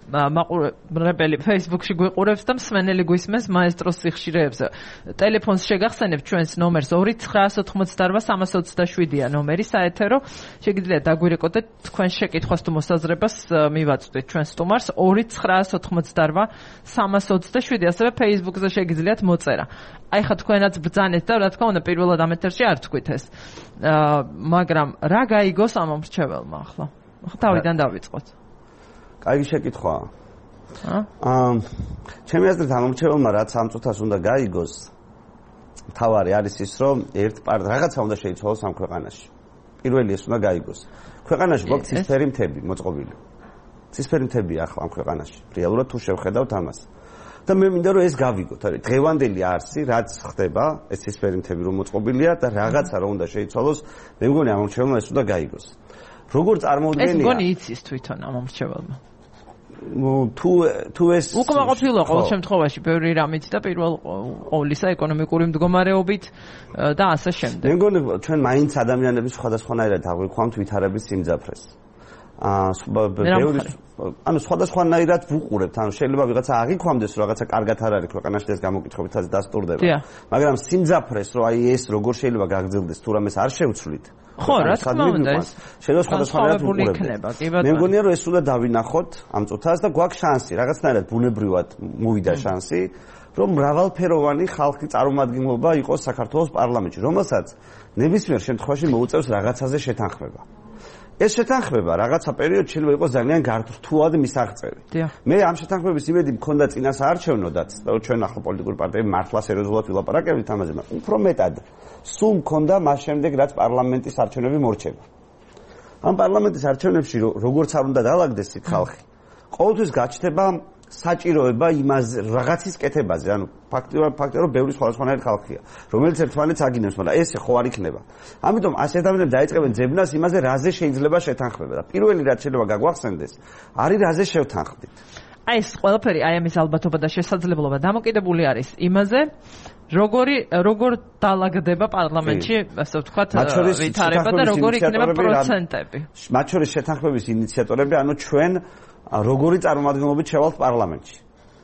მაყურებელი Facebook-ში გვიყურებს და მსმენელი გვისმენს მაესტროს სიხშირეებზე. ტელეფონს შეგახსენებთ ჩვენს ნომერს 2988327-ია ნომერი საეთერო. შეგიძლიათ დაგვირეკოდეთ თქვენ შეკითხვას თუ მოსაზრებას მივაწვდით ჩვენ სტუმარს 2988327. ასევე Facebook-ზე შეგიძლიათ მოწერა. აი ხა თქვენაც ბრძანეთ და რა თქმა უნდა პირველად ამ ეთერში არ თქვით ეს. მაგრამ რა გაიგოს ამ მრჩეველმა ახლა? თავიდან დავიწყოთ. კაი შეკითხვაა. ჩემი აზრით ამ მრჩეველმა რაც ამ წუთას უნდა გაიგოს, თავარი არის ის, რომ რაღაცა უნდა შეიცვალოს ამ ქვეყანაში. პირველი ეს უნდა გაიგოს. ქვეყანაში გვაქვს ცისფერი მთები მოწყობილი. ცისფერი მთებია ახლა ამ ქვეყანაში. რეალურად თუ შევხედავთ ამას. და მე მინდა რომ ეს გავიგოთ, არის დღევანდელი არსი, რაც ხდება, ეს ცისფერი მთები რომ მოწყობილია და რაღაცა რომ უნდა შეიცვალოს, მე მგონი ამ მრჩეველმა ეს უნდა გაიგოს. როგორ წარმოუდგენია? ეს მგონი იცის თვითონ ამ მრჩეველმა. თუ ეს უკმაყოფილო ყოველ შემთხვევაში ბევრი რამით და პირველ ყოვლისა ეკონომიკური მდგომარეობით და ასე შემდეგ. მე მგონი ჩვენ მაინც ადამიანების სხვადასხვანაირად აღვიქვამთ ვითარების სიმძაფრეს. ანუ სხვადასხვანაირად ვუყურებთ, ანუ შეიძლება ვიღაცა აღიქვამდეს რომ რაღაცა კარგად არ არის ქვეყანაში ეს გამოკითხებითაც დასტურდება. მაგრამ სიმძაფრეს რომ აი ეს როგორ შეიძლება გაგრძელდეს თუ რამეს არ შევცვლით. ხო, რა თქმა უნდა, ეს შეიძლება სხვადასხვანაირად ვუყურებთ. მე მგონია რომ ეს უნდა დავინახოთ ამ წუთას და გვაქვს შანსი, რაღაცნაირად ბუნებრივად მოვიდა შანსი, რომ მრავალფეროვანი ხალხი წარმომადგენლობა იყოს საქართველოს პარლამენტში, რომელსაც ნებისმიერ შემთხვევაში მოუწევს რაღაცაზე შეთანხმება. ეს შეთანხმება რაღაცა პერიოდში შეიძლება იყოს ძალიან გართულად მისაღწევი. მე ამ შეთანხმების იმედი მქონდა წინასაარჩევნოდაც, და ჩვენ ახლა პოლიტიკური პარტიები მართლა სერიოზულად ვილაპარაკებთ ამაზე, მაგრამ უფრო მეტად სულ მქონდა მას შემდეგ, რაც პარლამენტის არჩევნები მორჩება. ამ პარლამენტის არჩევნებში როგორც არ უნდა დაალაგდეს იქ ხალხი, ყოველთვის გაჩნდება საჭიროება იმას რაღაცის კეთებაზე, ანუ ფაქტია რომ ბევრი სხვადასხვანაირი ხალხია, რომელიც ერთმანეთს აგინებს, მაგრამ ესე ხო არ იქნება. ამიტომ ასე ადამიანები დაიწყებენ ძებნას იმაზე, რაზე შეიძლება შეთანხმება და პირველი რაც შეიძლება გაგვახსენდეს, არის რაზე შევთანხმდით. აი ეს ყველაფერი, აი ამის ალბათობა და შესაძლებლობა დამოკიდებული არის იმაზე, როგორ დაალაგდება პარლამენტში, ასე ვთქვათ, ვითარება და როგორ იქნება პროცენტები. მათ შორის შეთანხმების ინიციატორები, ანუ ჩვენ როგორი წარმომადგენლობით შევალთ პარლამენტში.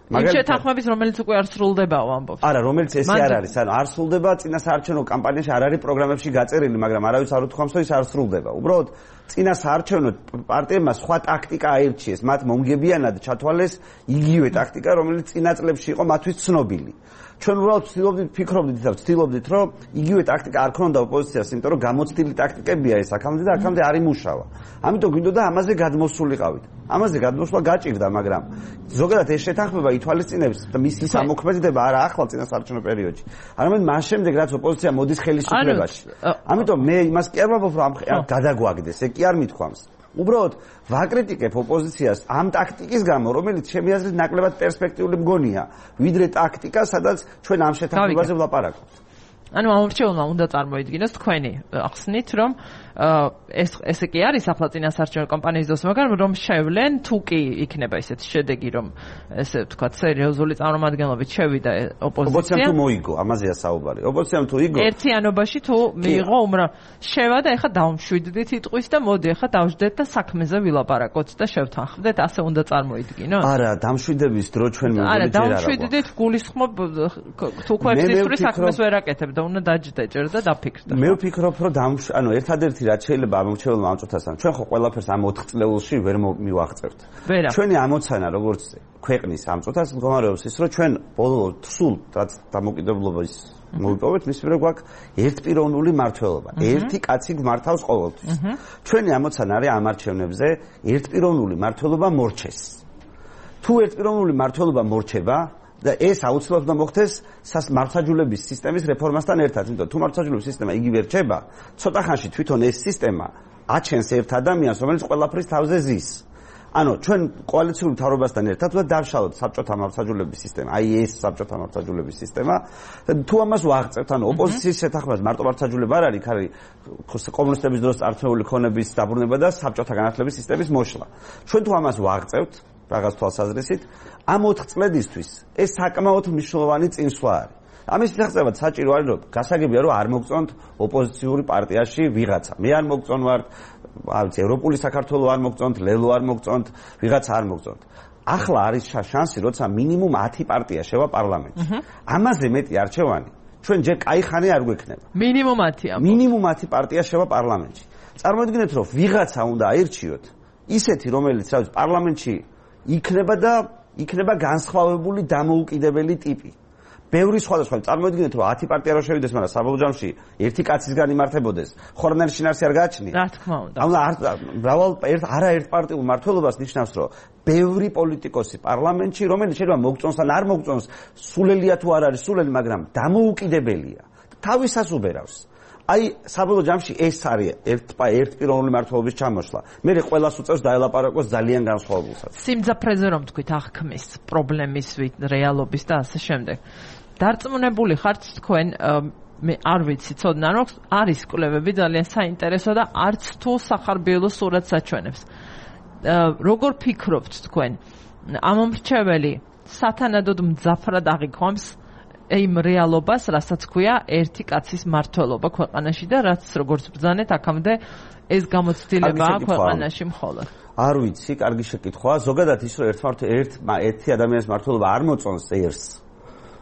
მაგალითად, შეთანხმების რომელიც უკვე არ სრულდებაო ამბობს. არა, რომელიც ესე არ არის, ანუ არ სრულდება წინასაარჩევნო კამპანიაში არ არის პროგრამებში გაწერილი, მაგრამ არავის არ უთქვამს, რომ ის არ სრულდება. უბრალოდ წინასაარჩევნო პარტიებმა სხვა ტაქტიკა აირჩიეს, მათ მომგებიანად ჩათვალეს იგივე ტაქტიკა, რომელიც წინა წლებში იყო მათთვის ცნობილი. ჩვენ უბრალოდ ვცდილობდით, რომ იგივე ტაქტიკა არ ქონდა ოპოზიციას, იმიტომ რომ გამოცდილი ტაქტიკებია ეს აქამდე და აქამდე არ იმუშავა. ამიტომ გვინდოდა ამაზე გადმოსულიყავით. ამაზე გადმოსვლა გაჭირდა, მაგრამ ზოგადად ეს შეთანხმება ითვალისწინებს და მისი სამოქმედება არა ახლა წინასაარჩევნო პერიოდში, არამედ მას შემდეგ, რაც ოპოზიცია მოდის ხელისუფლებაში. ამიტომ მე იმას კი არ ვამბობ, რომ ამ გადაგვაგდეს, ეგ კი არ მithქვამს. უბრალოდ ვაკრიტიკებ ოპოზიციას ამ ტაქტიკის გამო, რომელიც ჩემი აზრით ნაკლებად პერსპექტიული მგონია, ვიდრე ტაქტიკა, სადაც ჩვენ ამ შეთანხმებაზე ვლაპარაკობთ. ანუ ამ მრჩეველმა უნდა წარმოიდგინოს თქვენი ახსნით, რომ ესე კი არის ახლა წინასაარჩევნო კამპანიის დროს, მაგრამ რომ შევლენ თუ კი იქნება ისეთი შედეგი, რომ ესე ვთქვათ, სერიოზული წარმომადგენლობით შევიდა ოპოზიცია. ოპოზიციამ თუ მოიგო, ამაზეა საუბარი. ოპოზიციამ თუ იგო. ერთიანობაში თუ მიიღო შევა და ეხა დავმშვიდდით იტყვის და მოდი ეხა დავждეთ და საქმეზე ვილაპარაკოთ და შევთანხმდეთ, ასე უნდა წარმოიდგინოთ. არა, დამშვიდების დრო ჩვენ მოვიდეთ ჯერ არა. არა, დამშვიდდით გულისხმობ თუ ქვევსისური საქმეს ვერ აკეთებ და უნდა დაჯდე ჯერ და დაფიქრდე. მე ვფიქრობ, რომ ერთადერთი რაც შეიძლება ამორჩეულმა ამწუთასთან, ჩვენ ხო ყველაფერს ამ 4 წლეულში ვერ მივაღწევთ. ჩვენი ამოცანა როგორც ქვეყნის ამწუთას მდგომარეობს ის, რომ ჩვენ ბოლო სულ რაც დამოუკიდებლობის მოვიპოვეთ, მის მიერ გვაქვს ერთპიროვნული მმართველობა. ერთი კაცი გმართავს ყოველთვის. ჩვენი ამოცანა არის ამ არჩევნებზე ერთპიროვნული მმართველობა მორჩეს. თუ ერთპიროვნული მმართველობა მორჩება და ეს აუცილებლად უნდა მოხდეს მართლმსაჯულების სისტემის რეფორმასთან ერთად, იმიტომ თუ მართლმსაჯულების სისტემა იგივე რჩება, ცოტა ხანში თვითონ ეს სისტემა აჩენს ერთ ადამიანს, რომელიც ყველაფრის თავზე ზის. ანუ ჩვენ კოალიციური მთავრობასთან ერთად უნდა დავშალოთ საბჭოთა მართლმსაჯულების სისტემა, აი ეს საბჭოთა მართლმსაჯულების სისტემა. თუ ამას ვაღწევთ, ანუ ოპოზიციის შეთანხმებას მარტო მართლმსაჯულება არ არის, არის კომუნისტების დროს წარწმუნებული ქონების დაბრუნება და საბჭოთა განათლების სისტემის მოშლა. ჩვენ თუ ამას ვაღწევთ, რაღაც თვალსაზრისით, ამ 4 წლედისთვის ეს საკმაოდ მნიშვნელოვანი წინსვლა არის. ამის მიღწევად საჭირო არის, რომ გასაგებია, რომ არ მოგწონთ ოპოზიციური პარტიაში ვიღაცა. მე არ მოგწონვართ, ევროპული საქართველო არ მოგწონთ, ლელო არ მოგწონთ, ვიღაცა არ მოგწონთ. ახლა არის შანსი, როცა მინიმუმ 10 პარტია შევა პარლამენტში. ამაზე მეტი არჩევანი ჩვენ ჯერ კაი ხანი არ გვექნება. მინიმუმ 10. მინიმუმ 10 პარტია შევა პარლამენტში. წარმოიდგინეთ, რომ ვიღაცა უნდა აირჩიოთ, ისეთი, რომელიც რა ვიცი, პარლამენტში იქნება განსხვავებული დამოუკიდებელი ტიპი. ბევრი სხვადასხვა. წარმოიდგინეთ, რომ 10 პარტია რო შევიდეს, მაგრამ საბოლოო ჯამში ერთი კაცისგან იმართებოდეს, ხორნელი შინაარსი არ გააჩნია. რა თქმა უნდა. არაერთ პარტიულ მმართველობას ნიშნავს, რომ ბევრი პოლიტიკოსი პარლამენტში, რომელიც შეიძლება მოგწონს ან არ მოგწონს, სულელია თუ არ არის სულელი, მაგრამ დამოუკიდებელია. თავისას უბერავს. აი საბოლოო ჯამში ეს არის ერთპიროვნული მმართველობის ჩამოშლა. მე ყველას უწევს დაელაპარაკოს ძალიან განსხვავებულსაც. სიმძაფრეზე რომ თქვით აღქმის პრობლემის რეალობის და ასე შემდეგ. დარწმუნებული ხართ თქვენ მე არ ვიცი ცოდნა რომ არის კვლევები ძალიან საინტერესო და არც თუ სახარბიელო სურათს აჩვენებს. როგორ ფიქრობთ თქვენ ამომრჩეველი სათანადოდ მძაფრად აღიქვამს იმ რეალობას, რასაც ქვია ერთი კაცის მმართველობა ქვეყანაში და რაც როგორც ბრძანეთ აქამდე ეს გამოცდილებაა ქვეყანაში მხოლოდ. არ ვიცი, კარგი შეკითხვაა. ზოგადად ის რომ ერთი ადამიანის მმართველობა არ მოწონს ერს.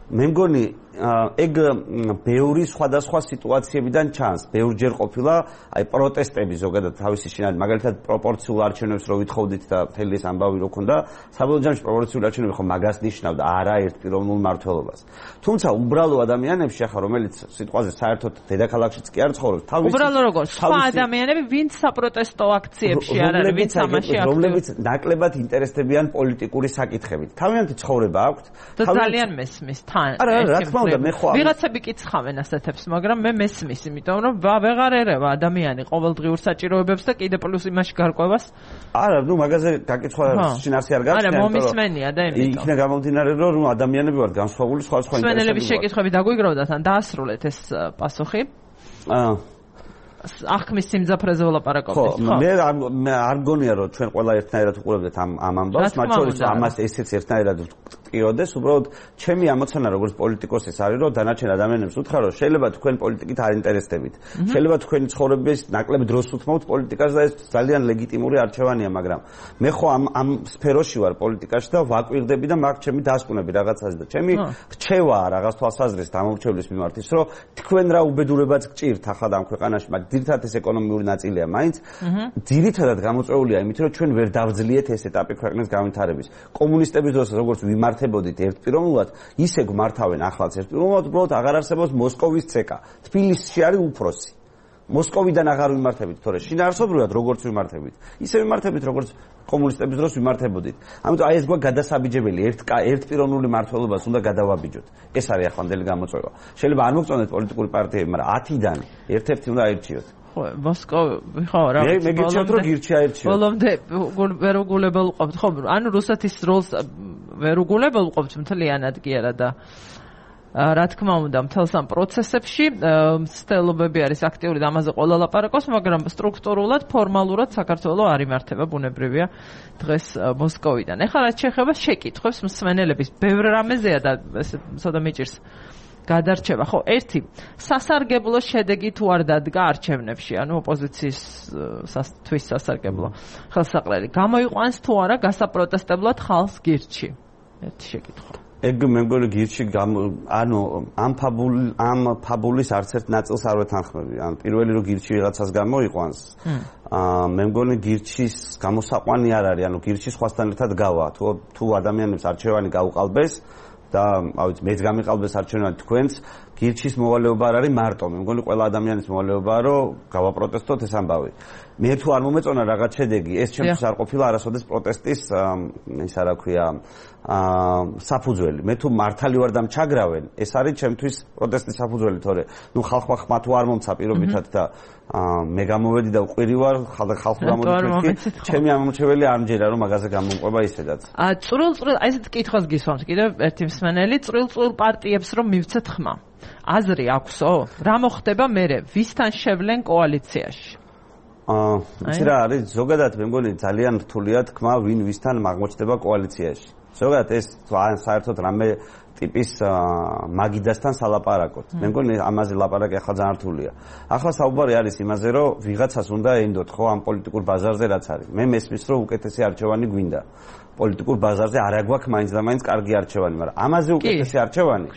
მე მგონი ეგ ბევრი სხვადასხვა სიტუაციებიდან ჩანს. ბევრჯერ ყოფილა აი პროტესტები ზოგადად თავისი შინაგანი, მაგალითად პროპორციულ არჩევნებს რო ვითხოვდით და მთელი ეს ამბავი რო ქონდა, საბოლოო ჯამში პროპორციული არჩევნები ხო მაგას ნიშნავდა, არა ერთპიროვნულ მმართველობას. თუმცა უბრალო ადამიანებში ახლა რომელიც სიტყვაზე საერთოდ დედაქალაქშიც კი არ ცხოვრობს, თავისი უბრალო როგორც სხვა ადამიანები, ვინც საპროტესტო აქციებში არ არის, ვინც ამაში აქტიურია, რომლებიც ნაკლებად ინტერესდებიან პოლიტიკური საკითხებით. თავიანთი ცხოვრება აქვთ, ძალიან მესმის თან. რა თქმა უნდა, მე ხო ვიღაცები კითხავენ ასეთებს, მაგრამ მე მესმის, იმიტომ რომ ვეღარ ერევა ადამიანი ყოველდღიურ საჭიროებებს და კიდე პლუს იმაში გარკვევას. არა, მაგაზე გაკითხვა შინაარსი არ გაჩნია, არა, მომისმენია და იმიტომ. იქნა გამომდინარე, რომ ადამიანები ვართ განსხვავებული სხვადასხვა ინტერესები. მსმენელების შეკითხვები დაგვიგროვდათ, ან დაასრულეთ ეს პასუხი? აღქმის სიმძაფრეზე ვლაპარაკობთ, ხო? მე არ მგონია, რომ ჩვენ ყველა ერთნაირად უყურებდეთ ამ ამბავს, მათ შორის ამას ესეც ერთნაირად ვტკიოდეს, უბრალოდ ჩემი ამოცანა როგორც პოლიტიკოსის არის, რომ დანარჩენ ადამიანებს უთხრა, რომ შეიძლება თქვენ პოლიტიკით არ ინტერესდებით. შეიძლება თქვენი ცხოვრების ნაკლებ დროს უთმობთ პოლიტიკას და ეს ძალიან ლეგიტიმური არჩევანია, მაგრამ მე ხო ამ სფეროში ვარ პოლიტიკაში და ვაკვირდები და მაქვს ჩემი დასკვნები რაღაცაზე და ჩემი რჩევაა რაღაც თვალსაზრისით ამორჩევლის მიმართ ის, რომ თქვენ რა უბედურებაც გჭირთ ახლა ამ ქვეყანაში, მაგრამ ძირითადად ეს ეკონომიური ნაწილია მაინც. ძირითადად გამოწვეულია იმით, რომ ჩვენ ვერ დავძლიეთ ეს ეტაპი ქვეყნის განვითარების. კომუნისტების დროს როგორც ვიმართებოდით ერთპიროვნულად, ისე გვმართავენ ახლაც ერთპიროვნულად, უბრალოდ აღარ არსებობს მოსკოვის ცეკა. თბილისში არის უფროსი. მოსკოვიდან აღარ ვიმართებით, თორე შინაარსობრივად როგორც ვიმართებით, ისე ვიმართებით, როგორც კომუნისტების დროს ვიმართებოდით. ამიტომ აი ეს გვაქვს გადასაბიჯებელი, ერთპიროვნული მმართველობას უნდა გადავაბიჯოთ. ეს არის ახლანდელი გამოწვევა. შეიძლება არ მოგწონდეთ პოლიტიკური პარტიები, მაგრამ 10-დან ერთ-ერთი უნდა აირჩიოთ. მოსკოვი ხო რა მე გიჩვენოთ რომ გირჩი აირჩიოთ. ბოლომდე ვერ უგულებელყოფთ ხო? ანუ რუსეთის როლს ვერ უგულებელყოფთ მთლიანად კი არა და რა თქმა უნდა, მთელს ამ პროცესებში მცდელობები არის აქტიური და ამაზე ყველა ლაპარაკობს, მაგრამ სტრუქტურულად, ფორმალურად საქართველო არ იმართება, ბუნებრივია დღეს მოსკოვიდან. ეხლა რაც შეეხება შეკითხვებს მსმენელების, ბევრ რამეზეა და ესე ცოტა მიჭირს გადარჩება. ხო, ერთი სასარგებლო შედეგი თუ არ დადგა არჩევნებში, ანუ ოპოზიციის თვის სასარგებლო ხელსაყრელი გამოიყვანს თუ არა გასაპროტესტებლად ხალხს გირჩი. ერთი შეკითხვა. ეგ მე მგონი გირჩი ანუ ამ ფაბულის არც ერთ ნაწილს არ ვეთანხმები. ან პირველი რომ გირჩი ვიღაცას გამოიყვანს, მე მგონი გირჩის გამოსაყვანი არ არის, ანუ გირჩი სხვასთან ერთად გავა. თუ ადამიანებს არჩევანი გაუყალბეს და ავიც მეც გამიყალბეს არჩევანი თქვენს, გირჩის მოვალეობა არ არის მარტო. მე მგონი ყველა ადამიანის მოვალეობაა, რომ გავაპროტესტოთ ეს ამბავი. მე თუ არ მომეწონა რაღაც შედეგი, ეს ჩემთვის არ ყოფილა არასოდეს პროტესტის ისა რა ქვია საფუძველი. მე თუ მართალი ვარ და მჩაგრავენ, ეს არის ჩემთვის პროტესტის საფუძველი, თორე ნუ ხალხმა ხმა თუ არ მომცა პირობითად და მე გამოვედი და უყვირი ვარ ხალხ გამოვიდი, ჩემი ამომრჩეველი არ მჯერა რომ მაგაზე გამომყვება ისედაც. წვრილ აი ესეთ კითხვას გისვამს კიდევ ერთი მსმენელი, წვრილ პარტიებს რომ მივცეთ ხმა. აზრი აქვსო? რა მოხდება მერე? ვისთან შევლენ კოალიციაში? იცი რა არის, ზოგადად მე მგონი ძალიან რთულია თქმა ვინ ვისთან აღმოჩნდება კოალიციაში. ზოგადად ეს საერთოდ რამე ტიპის მაგიდასთან სალაპარაკოთ. მე მგონი ამაზე ლაპარაკი ახლა ძალიან რთულია. ახლა საუბარი არის იმაზე, რომ ვიღაცას უნდა ენდოთ ხო ამ პოლიტიკურ ბაზარზე რაც არის. მე მესმის რომ უკეთესი არჩევანი გვინდა. პოლიტიკურ ბაზარზე არ აგვაქვს მაინც და მაინც კარგი არჩევანი, მაგრამ ამაზე უკეთესი არჩევანი.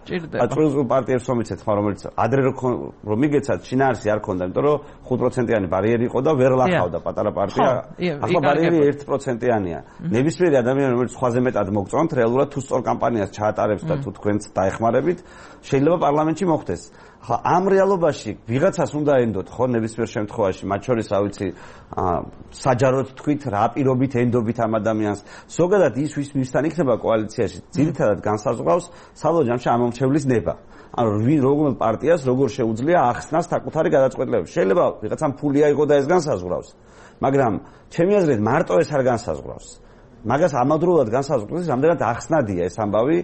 წვრილ პარტიებს რომიცეთ ხმა, რომელიც ადრე რომ მიგეცათ, შინაარსი არ ქონდა, იმიტომ რომ 5%-იანი ბარიერი იყო და ვერ ლახავდა პატარა პარტია. ახლა ბარიერი 1%-იანია. ნებისმიერი ადამიანი, რომელიც სხვაზე მეტად მოგწონთ, რეალურად თუ სწორ კამპანიას ჩაატარებს და თუ თქვენც დაეხმარებით, შეიძლება პარლამენტში მოხდეს. ხა ამ რეალობაში ვიღაცას უნდა ენდოთ ხო ნებისმიერ შემთხვევაში, მათ შორის რა ვიცი, საჯაროდ თქვით რა პირობით ენდობით ამ ადამიანს. ზოგადად ის ვის მისთან იქნება კოალიციაში, ძირითადად განსაზღვრავს საბოლოო ჯამში ამომრჩევლის ნება. ანუ როგორ პარტიას როგორ შეუძლია ახსნას საკუთარი გადაწყვეტილებები. შეიძლება ვიღაცამ ფული აიღო და ეს განსაზღვრავს, მაგრამ ჩემი აზრით მარტო ეს არ განსაზღვრავს. მაგას ამავდროულად განსაზღვრავს, რამდენად ახსნადია ეს ამბავი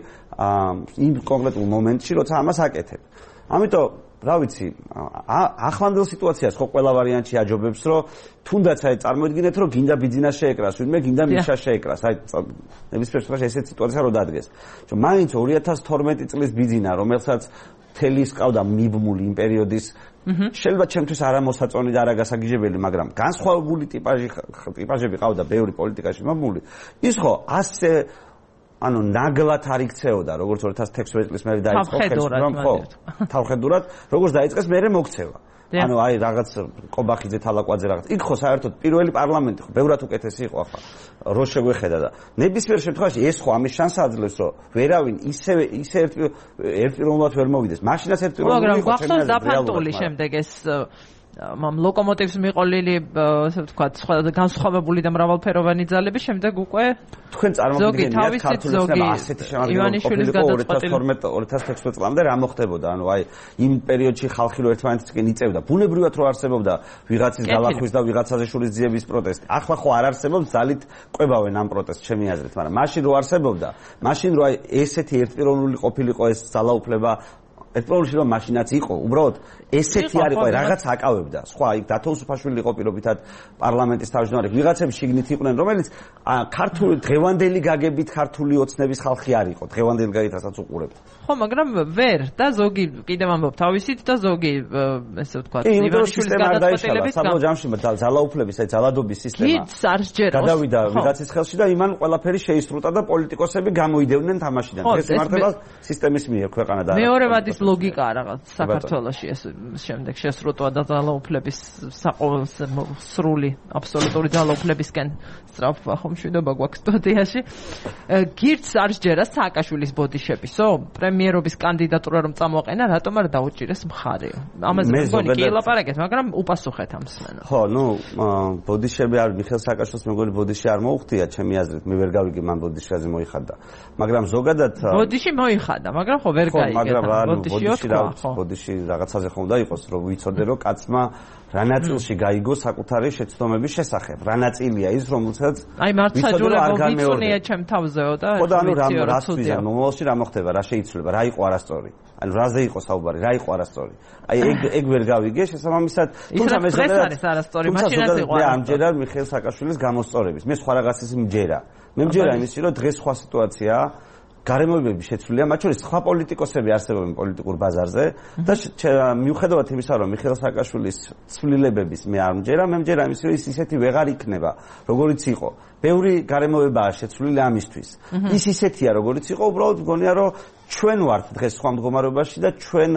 იმ კონკრეტულ მომენტში, როცა ამას აკეთებ. ამიტომ რა ვიცი, ახლანდელ სიტუაციას ხო ყველა ვარიანტი აჯობებს, რომ თუნდაც აი წარმოიდგინეთ, რომ გინდა ბიძინა შეეკრას, ვინმე გინდა მიშა შეეკრას. აი ნებისმიერ შემთხვევაში ესეთ სიტუაცია რო დადგეს. მაინც 2012 წლის ბიძინა, რომელსაც თელის ყავდა მიბმული იმ პერიოდის, შეიძლება ჩემთვის არამოსაწონი და არაგასაგიჟებელი, მაგრამ განსხვავებული ტიპაჟები ყავდა ბევრი პოლიტიკაში მიბმული. ის ხო ასე ანუ ნაგლად არ იქცეოდა, როგორც 2016 წლის მერე დაიწყო ხელისუფლება, ხო, თავხედურად, როგორც დაიწყეს მერე მოქცევა. ანუ აი რაღაც ყობახიძე თალაკვაძე რაღაც. იქ ხო საერთოდ პირველი პარლამენტი ხო ბევრად უკეთესი იყო ახლა. რო შეგვეხედა და ნებისმიერ შემთხვევაში ეს ხო ამის შანსს აძლევს, რომ ვერავინ ისე ერთპიროვნულად ვერ მოვიდეს. მაშინაც ერთპიროვნული იყო. მაგრამ გახსოვს დაფანტული შემდეგ ეს ამ ლოკომოტივს მიყოლილი, ასე ვთქვათ, სხვა განსხვავებული და მრავალფეროვანი ძალები, შემდეგ უკვე თქვენ წარმოგიდგენიათ ქართულისგან ასეთი შემადგენლობა ყოფილიყო 2012-2016 წლამდე რა მოხდებოდა? ანუ აი იმ პერიოდში ხალხი რო ერთმანეთისკენ იწევდა, ბუნებრივად რო არსებობდა ვიღაცის დალახვის და ვიღაცაზე შურის ძიების პროტესტი. ახლა ხო არ არსებობს, ძალით ყვებავენ ამ პროტესტს, ჩემი აზრით, მაგრამ მაშინ რო არსებობდა, მაშინ რო აი ესეთი ერთპიროვნული ყოფილიყო ეს ძალაუფლება, ერთპიროვნული რომ მაშინაც იყო, უბრალოდ ესეთი არ იყო, რაღაც აკავებდა. სხვა იქ დათოუსუფაშვილი იყო პირობითად პარლამენტის თავმჯდომარე. ვიღაცები შიგნით იყვნენ, რომელიც ქართული დღევანდელი გაგებით ქართული ოცნების ხალხი არ იყო. დღევანდელი გაგითასაც უყურებთ. ხო, მაგრამ ვერ და ზოგი კიდევ ამბობ თავისით და ზოგი ესე ვთქვათ, ივანიშვილის გადაწყვეტილებით საბოლოო ჯამში ძალაუფლების, აი ძალადობის სისტემა. გიც არ სჯეროს. გადავიდა ვიღაცის ხელში და იმან ყველაფერი შეისრუტა და პოლიტიკოსები გამოიდევნენ თამაშიდან. ეს მართლა სისტემის მიერ ქვეყანა და მეორე ვადის ლოგიკაა რაღაც საქართველოში ეს შემდეგ შესრუტვა და ძალაუფლების სრული აბსოლუტური ძალაუფლებისკენ სწრაფვა ხომ მშვიდობა გვაქვს სტუდიაში. გიც არ სჯერა სააკაშვილის ბოდიშებისო? პრემიერობის კანდიდატურა რომ წამოაყენა, რატომ არ დაუჭირეს მხარე? ამაზე მგონი კი ლაპარაკეთ, მაგრამ უპასუხეთ ამ სცენას. ხო, ნუ ბოდიშები არ მიხეილ სააკაშვილს მეგონი ბოდიში არ მოუხდია, ჩემი აზრით, მე ვერ გავიგე მან ბოდიშაზე მოიხადა. მაგრამ ზოგადად ბოდიში მოიხადა, მაგრამ ხო ვერ გაიგე. მაგრამ ბოდიში რაღაცაზე ხომ უნდა იყოს, რომ ვიცოდე, რომ კაცმა რა ნაწილში გაიგო საკუთარი შეცდომების შესახებ. რა ნაწილია ის, რომელსაც აი მართლმსაჯულება ვიცუნია ჩემ თავზეო და ხო და ანუ რა თვიზა, მომავალში რა მოხდება, რა შეიცვლება, რა იყო არასწორი. ანუ რაზე იყო საუბარი, რა იყო არასწორი. აი ეგ ვერ გავიგე, შესაბამისად, თუმცა მე არის არასწორი, მაშინაც იყო. მე ამჯერად მიხეილ სააკაშვილის გამოსწორების, მე სხვა რაღაცის მჯერა. მე მჯერა იმისი, რომ დღეს სხვა სიტუაციაა. გარემოებები შეცვლილია, მათ შორის სხვა პოლიტიკოსები არსებობენ პოლიტიკურ ბაზარზე და მიუხედავად იმისა, რომ მიხეილ სააკაშვილის ცვლილებების მე არ მჯერა, მე მჯერა იმის, რომ ის ისეთი ვეღარ იქნება, როგორიც იყო. ბევრი გარემოებაა შეცვლილი ამისთვის. ის ისეთია, როგორიც იყო, უბრალოდ მგონია, რომ ჩვენ ვართ დღეს სხვა მდგომარეობაში და ჩვენ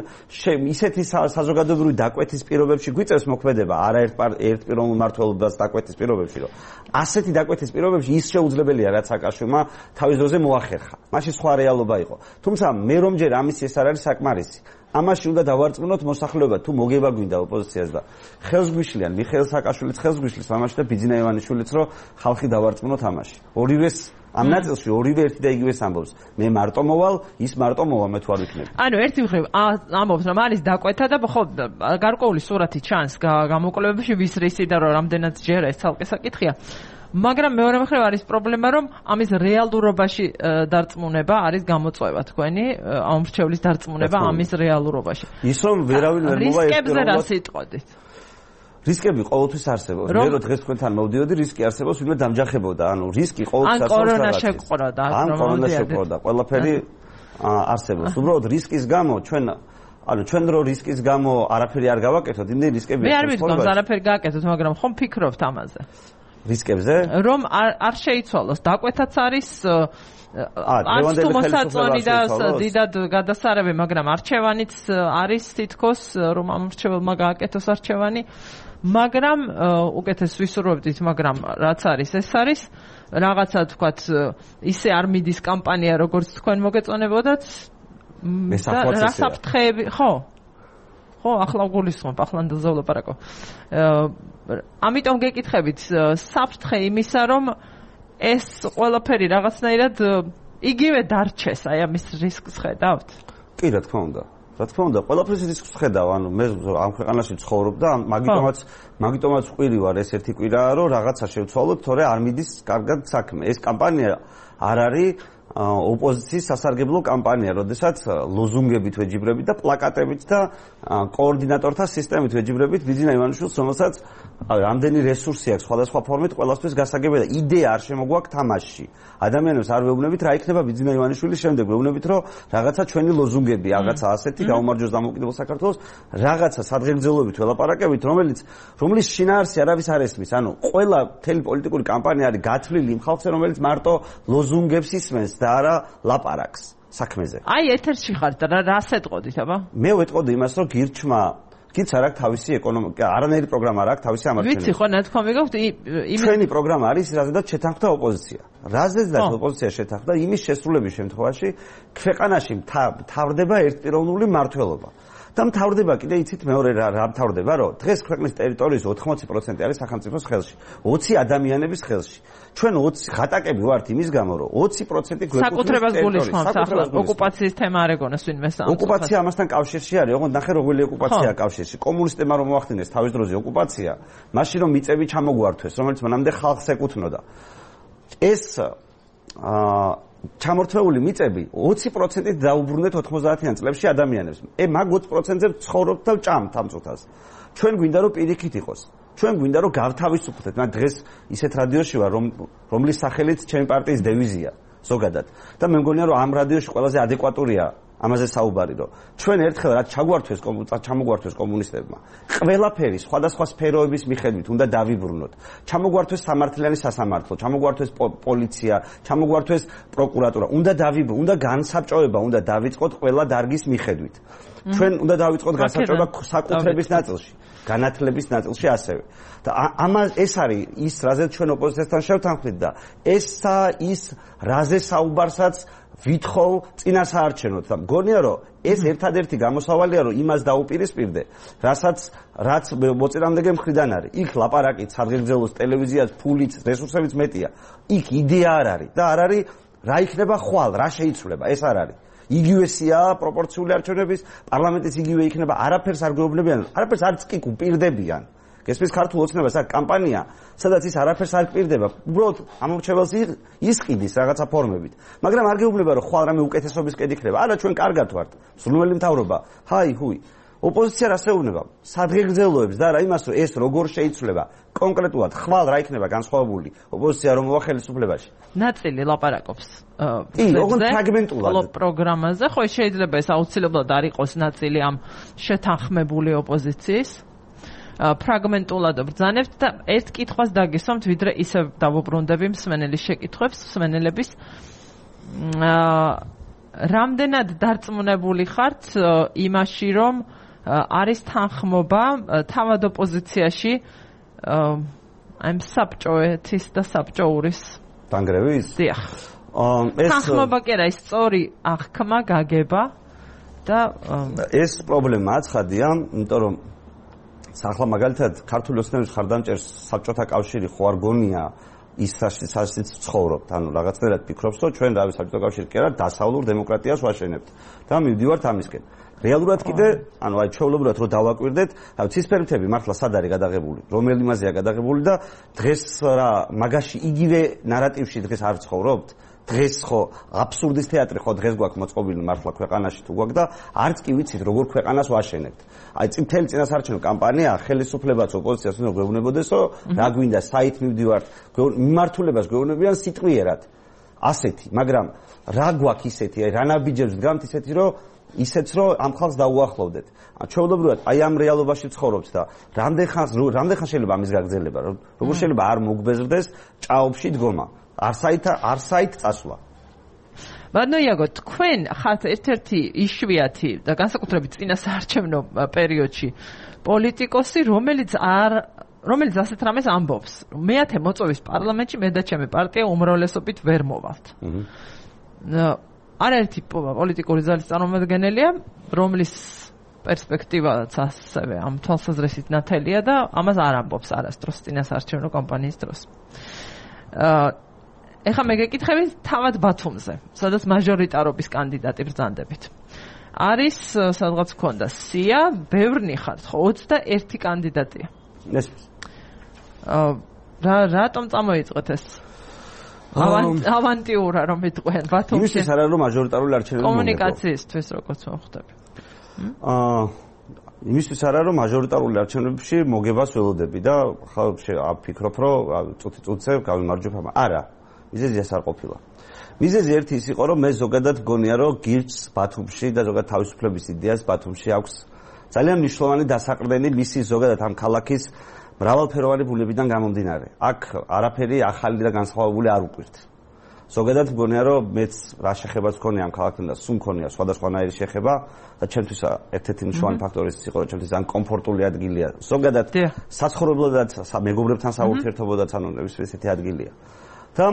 ისეთი საზოგადოებრივი დაკვეთის პირობებში გვიწევს მოქმედება არაერთპიროვნულ მმართველობას დაკვეთის პირობებში, რომ ასეთი დაკვეთის პირობებში ის შეუძლებელია, რაც სააკაშვილმა თავის დროზე მოახერხა. მაშინ სხვა რეალობა იყო. თუმცა მე რომ ჯერ ამის ეს არ არის საკმარისი. ამაში უნდა დავარწმუნოთ მოსახლეობა, თუ მოგება გვინდა ოპოზიციას და ხელს გვიშლიან მიხეილ სააკაშვილიც ხელს გვიშლის ამაში და ბიძინა ივანიშვილიც, რომ ხალხი დავარწმუნოთ ამაში. ორივეს ამ ნაწილში ორივე ერთი და იგივეს ამბობს. მე მარტო მოვალ, ის მარტო მოვა, მე თუ არ ვიქნები. ანუ ერთი მხრივ ამბობს, რომ არის დაკვეთა და ხო გარკვეული სურათი ჩანს გამოკვლევებში ვის რისი და რომ რამდენად ჯერა ეს ცალკე საკითხია. მაგრამ მეორე მხრივ არის პრობლემა, რომ ამის რეალურობაში დარწმუნება არის გამოწვევა თქვენი, ამ მრჩევლის დარწმუნება ამის რეალურობაში. ის რომ ვერავინ ვერ მოვა რისკებზე რა სიტყვით? რისკები ყოველთვის არსებობს. მე რო დღეს თქვენთან მოვდიოდი, რისკი არსებობს, ვინმე დამჯახებოდა. ანუ რისკი ყოველთვის არსებობს. ან კორონა შეყყროდა, ან კორონა შეყყროდა. ყველაფერი არსებობს. უბრალოდ რისკის გამო ჩვენ რო რისკის გამო არაფერი არ გავაკეთოთ, იმდენი რისკები მე არ ვიდგამს არაფერი გააკეთოთ, მაგრამ ხომ ფიქრობთ ამაზე? რისკებზე? რომ არ შეიცვალოს, დაკვეთაც არის არც თუ მოსაწონი და დიდად გადასარევი, მაგრამ არჩევანიც არის თითქოს, რომ ამ მრჩეველმა გააკეთოს არჩევანი, მაგრამ უკეთეს ვისურვებდით, მაგრამ რაც არის, ეს არის რაღაცა თქვათ, ისე არ მიდის კამპანია, როგორც თქვენ მოგეწონებოდათ. რა საფრთხეები, ხო, ახლა გულისხმობ, ახლა ნდელზე ვლაპარაკო. ამიტომ გეკითხებით, საფრთხე იმისა, რომ ეს ყველაფერი რაღაცნაირად იგივე დარჩეს, აი ამის რისკს ხედავთ? კი, რა თქმა უნდა. რა თქმა უნდა, ყველაფრის რისკს ხედავ, ანუ მე ამ ქვეყანაში ცხოვრობ და მაგიტომაც ყვირი ვარ ეს ერთი კვირაა, რომ რაღაცა შევცვალოთ, თორე არ მიდის კარგად საქმე. ეს კამპანია არ არის ოპოზიციის სასარგებლო კამპანია, როდესაც ლოზუნგებით ვეჯიბრებით და პლაკატებით და კოორდინატორთა სისტემით ვეჯიბრებით ბიძინა ივანიშვილს, რომელსაც რამდენი რესურსი აქვს სხვადასხვა ფორმით ყველასთვის გასაგებია და იდეა არ შემოგვაქვს თამაშში. ადამიანებს არ ვეუბნებით რა იქნება ბიძინა ივანიშვილის შემდეგ, ვეუბნებით რომ რაღაცა ჩვენი ლოზუნგები, რაღაცა ასეთი გაუმარჯოს დამოუკიდებელ საქართველოს, რაღაცა სადღეგრძელობით ველაპარაკებით, რომლის შინაარსი არავის არ ესმის. ანუ ყველა მთელი პოლიტიკური კამპანია არის გათვლილი იმ ხალხზე, რომელიც მარტო ლოზუნგებს ისმენს და არა ლაპარაკს საქმეზე. აი ეთერში ხართ და რას ეტყოდით, აბა? მე ვეტყოდი იმას, რომ გირჩ არ აქვს თავისი ეკონომიკა, არანაირი პროგრამა არ აქვს თავისი ამარჩეველი. ვიცი, ხო, ნათქვამი გაქვთ, ჩვენი პროგრამა არის რაზედაც შეთანხმდა ოპოზიცია. რაზედაც ოპოზიცია შეთანხმდა, იმის შესრულების შემთხვევაში ქვეყანაში მთავრდება ერთპიროვნული მმართველობა. და მთავრდება კიდე იცით მეორე რა მთავრდება, რომ დღეს ქვეყნის ტერიტორიის 80% არის სახელმწიფოს ხელში, 20 ადამიანების ხელში. ჩვენ 20 ხატაკები ვართ იმის გამო, რომ 20% გვეკუთვნის საკუთრებას გულისხმობთ ახლა ოკუპაციის თემა არ ეგონას ვინმე სამ. ოკუპაცია ამასთან კავშირში არის, ოღონდ ნახე როგორი ოკუპაცია კავშირში. კომუნისტებმა რომ მოახდინეს თავის დროზე ოკუპაცია, მაშინ რომ მიწები ჩამოგვართვეს, რომელიც მანამდე ხალხს ეკუთვნოდა. ეს ჩამორთმეული მიწები 20%-ით დაუბრუნდეთ 90-იან წლებში ადამიანებს. მაგ 20%-ზე ცხოვრობთ და ვჭამთ ამ წუთას. ჩვენ გვინდა რომ პირიქით იყოს. ჩვენ გვინდა რომ გავთავისუფლდეთ. მე დღეს ისეთ რადიოში ვარ, რომლის სახელით ჩემი პარტიის დევიზია ზოგადად. და მე მგონია რომ ამ რადიოში ყველაზე ადეკვატურია ამაზე საუბარი, რომ ჩვენ ერთხელ რაც ჩამოგვართვეს კომუნისტებმა, ყველაფერი სხვადასხვა სფეროების მიხედვით უნდა დავიბრუნოთ. ჩამოგვართვეს სამართლიანი სასამართლო, ჩამოგვართვეს პოლიცია, ჩამოგვართვეს პროკურატურა, უნდა განსაბჭოება, უნდა დავიწყოთ ყველა დარგის მიხედვით. ჩვენ უნდა დავიწყოთ განსაბჭოება საკუთრების ნაწილში, განათლების ნაწილში ასევე. და ეს არის ის, რაზეც ჩვენ ოპოზიციასთან შევთანხმდით და ის რაზე საუბარსაც ვითხოვ წინასაარჩევნოდ და მგონია რომ ეს ერთადერთი გამოსავალია რომ იმას დაუპირისპირდე რაც მოწინააღმდეგე მხრიდან არის. იქ ლაპარაკით სადღეგრძელოს ტელევიზიას ფულით რესურსებიც მეტია. იქ იდეა არ არის და არ არის რა იქნება ხვალ, რა შეიცვლება, ეს არ არის. იგივესია პროპორციული არჩევნების, პარლამენტის იგივე იქნება, არაფერს არ გვეუბნებიან, არაფერს არც კი უპირდებიან. გესმის ქართულ ოცნებას აქ კამპანია, სადაც ის არაფერს არ პირდება, უბრალოდ ამორჩეველს ისყიდის რაღაცა ფორმებით. მაგრამ არ გეუბნება რომ ხვალ რამე უკეთესობისკენ იქნება. არა, ჩვენ კარგად ვართ. სრულიად მთავრობა. ჰაი, ჰუი. ოპოზიცია რას ეუბნება? სადგეგრძელოებს და რა იმას რომ ეს როგორ შეიცვლება კონკრეტულად ხვალ რა იქნება განსხვავებული ოპოზიცია რომ მოვა ხელისუფლებაში. ნაწილი ლაპარაკობს. კი, ოღონდ ფრაგმენტულად პროგრამაზე, ხო შეიძლება ეს აუცილებლად არ იყოს ნაწილი ამ შეთანხმებული ოპოზიციის. ფრაგმენტულად ბრძანებთ და ერთ კითხვას დაგესვამთ, ვიდრე ისევ დავუბრუნდები მსმენელის შეკითხვებს, მსმენელების რამდენად დარწმუნებული ხართ იმაში, რომ არის თანხმობა თავად ოპოზიციაში ამ საბჭოეთის და საბჭოურის დანგრევის? დიახ. თანხმობა კი არა, ის სწორი აღქმა გაგება და ეს პრობლემაა ცხადია, იმიტომ რომ ახლა მაგალითად ქართული ოცნების ხარდამჭერს საბჭოთა კავშირი ხო არ გონია ის სასიც ცხოვრობთ, ანუ რაღაცნაირად ფიქრობს, რომ ჩვენ რავი საბჭოთა კავშირი კი არა დასავლურ დემოკრატიას ვაშენებთ და მივდივართ ამისკენ. რეალურად კიდე, ანუ აი ჩვეულებრივად რო დავაკვირდეთ, ცისფერმთები მართლა სად არის გადაღებული, რომელი იმაზეა გადაღებული და დღეს რა მაგაში იგივე ნარატივში დღეს არ ცხოვრობთ? დღეს ხო აბსურდის თეატრი ხო დღეს გვაქვს მოწყობილი მართლა ქვეყანაში თუ გვაქვს და არც კი ვიცით როგორ ქვეყანას ვაშენებთ. აი წითელი წინასაარჩევნო კამპანია ხელისუფლებაც ოპოზიციას უნდა გვეუბნებოდეს, რომ რა გვინდა საით მივდივართ, მიმართულებას გვეუბნებიან სიტყვიერად. ასეთი, მაგრამ რა გვაქვს ისეთი, აი რა ნაბიჯებს დგამთ ისეთი, რომ ისეც რომ ამ ხალხს დაუახლოვდეთ. ჩვეულებრივად აი ამ რეალობაში ცხოვრობთ და რამდენ ხანს შეიძლება ამის გაგრძელება, როგორ შეიძლება არ მოგბეზრდეს ჭაობში დგომა. არსაით წასვლა. ბატონო იაგო, თქვენ ხართ ერთ-ერთი იშვიათი და განსაკუთრებით წინასაარჩევნო პერიოდში პოლიტიკოსი, რომელიც ასეთ რამეს ამბობს. მეათე მოწვევის პარლამენტში მე და ჩემი პარტია უმრავლესობით ვერ მოვალთ. არაერთი პოლიტიკური ძალის წარმომადგენელია, რომლის პერსპექტივაც ასევე ამ თვალსაზრისით ნათელია და ამას არ ამბობს არასდროს წინასაარჩევნო კამპანიის დროს. ეხლა მე გეკითხები თავად ბათუმზე, სადაც მაჟორიტარობის კანდიდატი ბრძანდებით. არის სადღაც მქონდა სია, ბევრნი ხართ, ხო 21 კანდიდატია. ნესმის. რატომ წამოიწყეთ ეს? ავანტიურა რომ იტყვიან ბათუმში. იმისთვის არა რომ მაჟორიტარული არჩევნები კომუნიკაციისთვის როგორც მოხდები. იმისთვის არა რომ მაჟორიტარული არჩევნებში მოგებას ველოდები და ხალხი აფიქრობ რომ წუთი-წუთზე გავიმარჯვებ ამ. არა. მიზეზი ეს არ ყოფილა. მიზეზი ერთი ის იყო, რომ მე ზოგადად გონია, რომ გირჩს ბათუმში და ზოგადად თავისუფლების იდეას ბათუმში აქვს ძალიან მნიშვნელოვანი დასაყრდენი მისი ზოგადად ამ ქალაქის მრავალფეროვანი ბუნებიდან გამომდინარე. აქ არაფერი ახალი და განსხვავებული არ უყვირთ. ზოგადად გონია, რომ მეც რა შეხებაც მქონია ამ ქალაქთან და სულ მქონია სხვადასხვანაირი შეხება და ჩემთვის ერთ-ერთი მნიშვნელოვანი ფაქტორი ის იყო, რომ ჩემთვის ძალიან კომფორტული ადგილია. ზოგადად საცხოვრებლადაც, მეგობრებთან საურთიერთობოდაც ანუ ესეთი ადგილია. და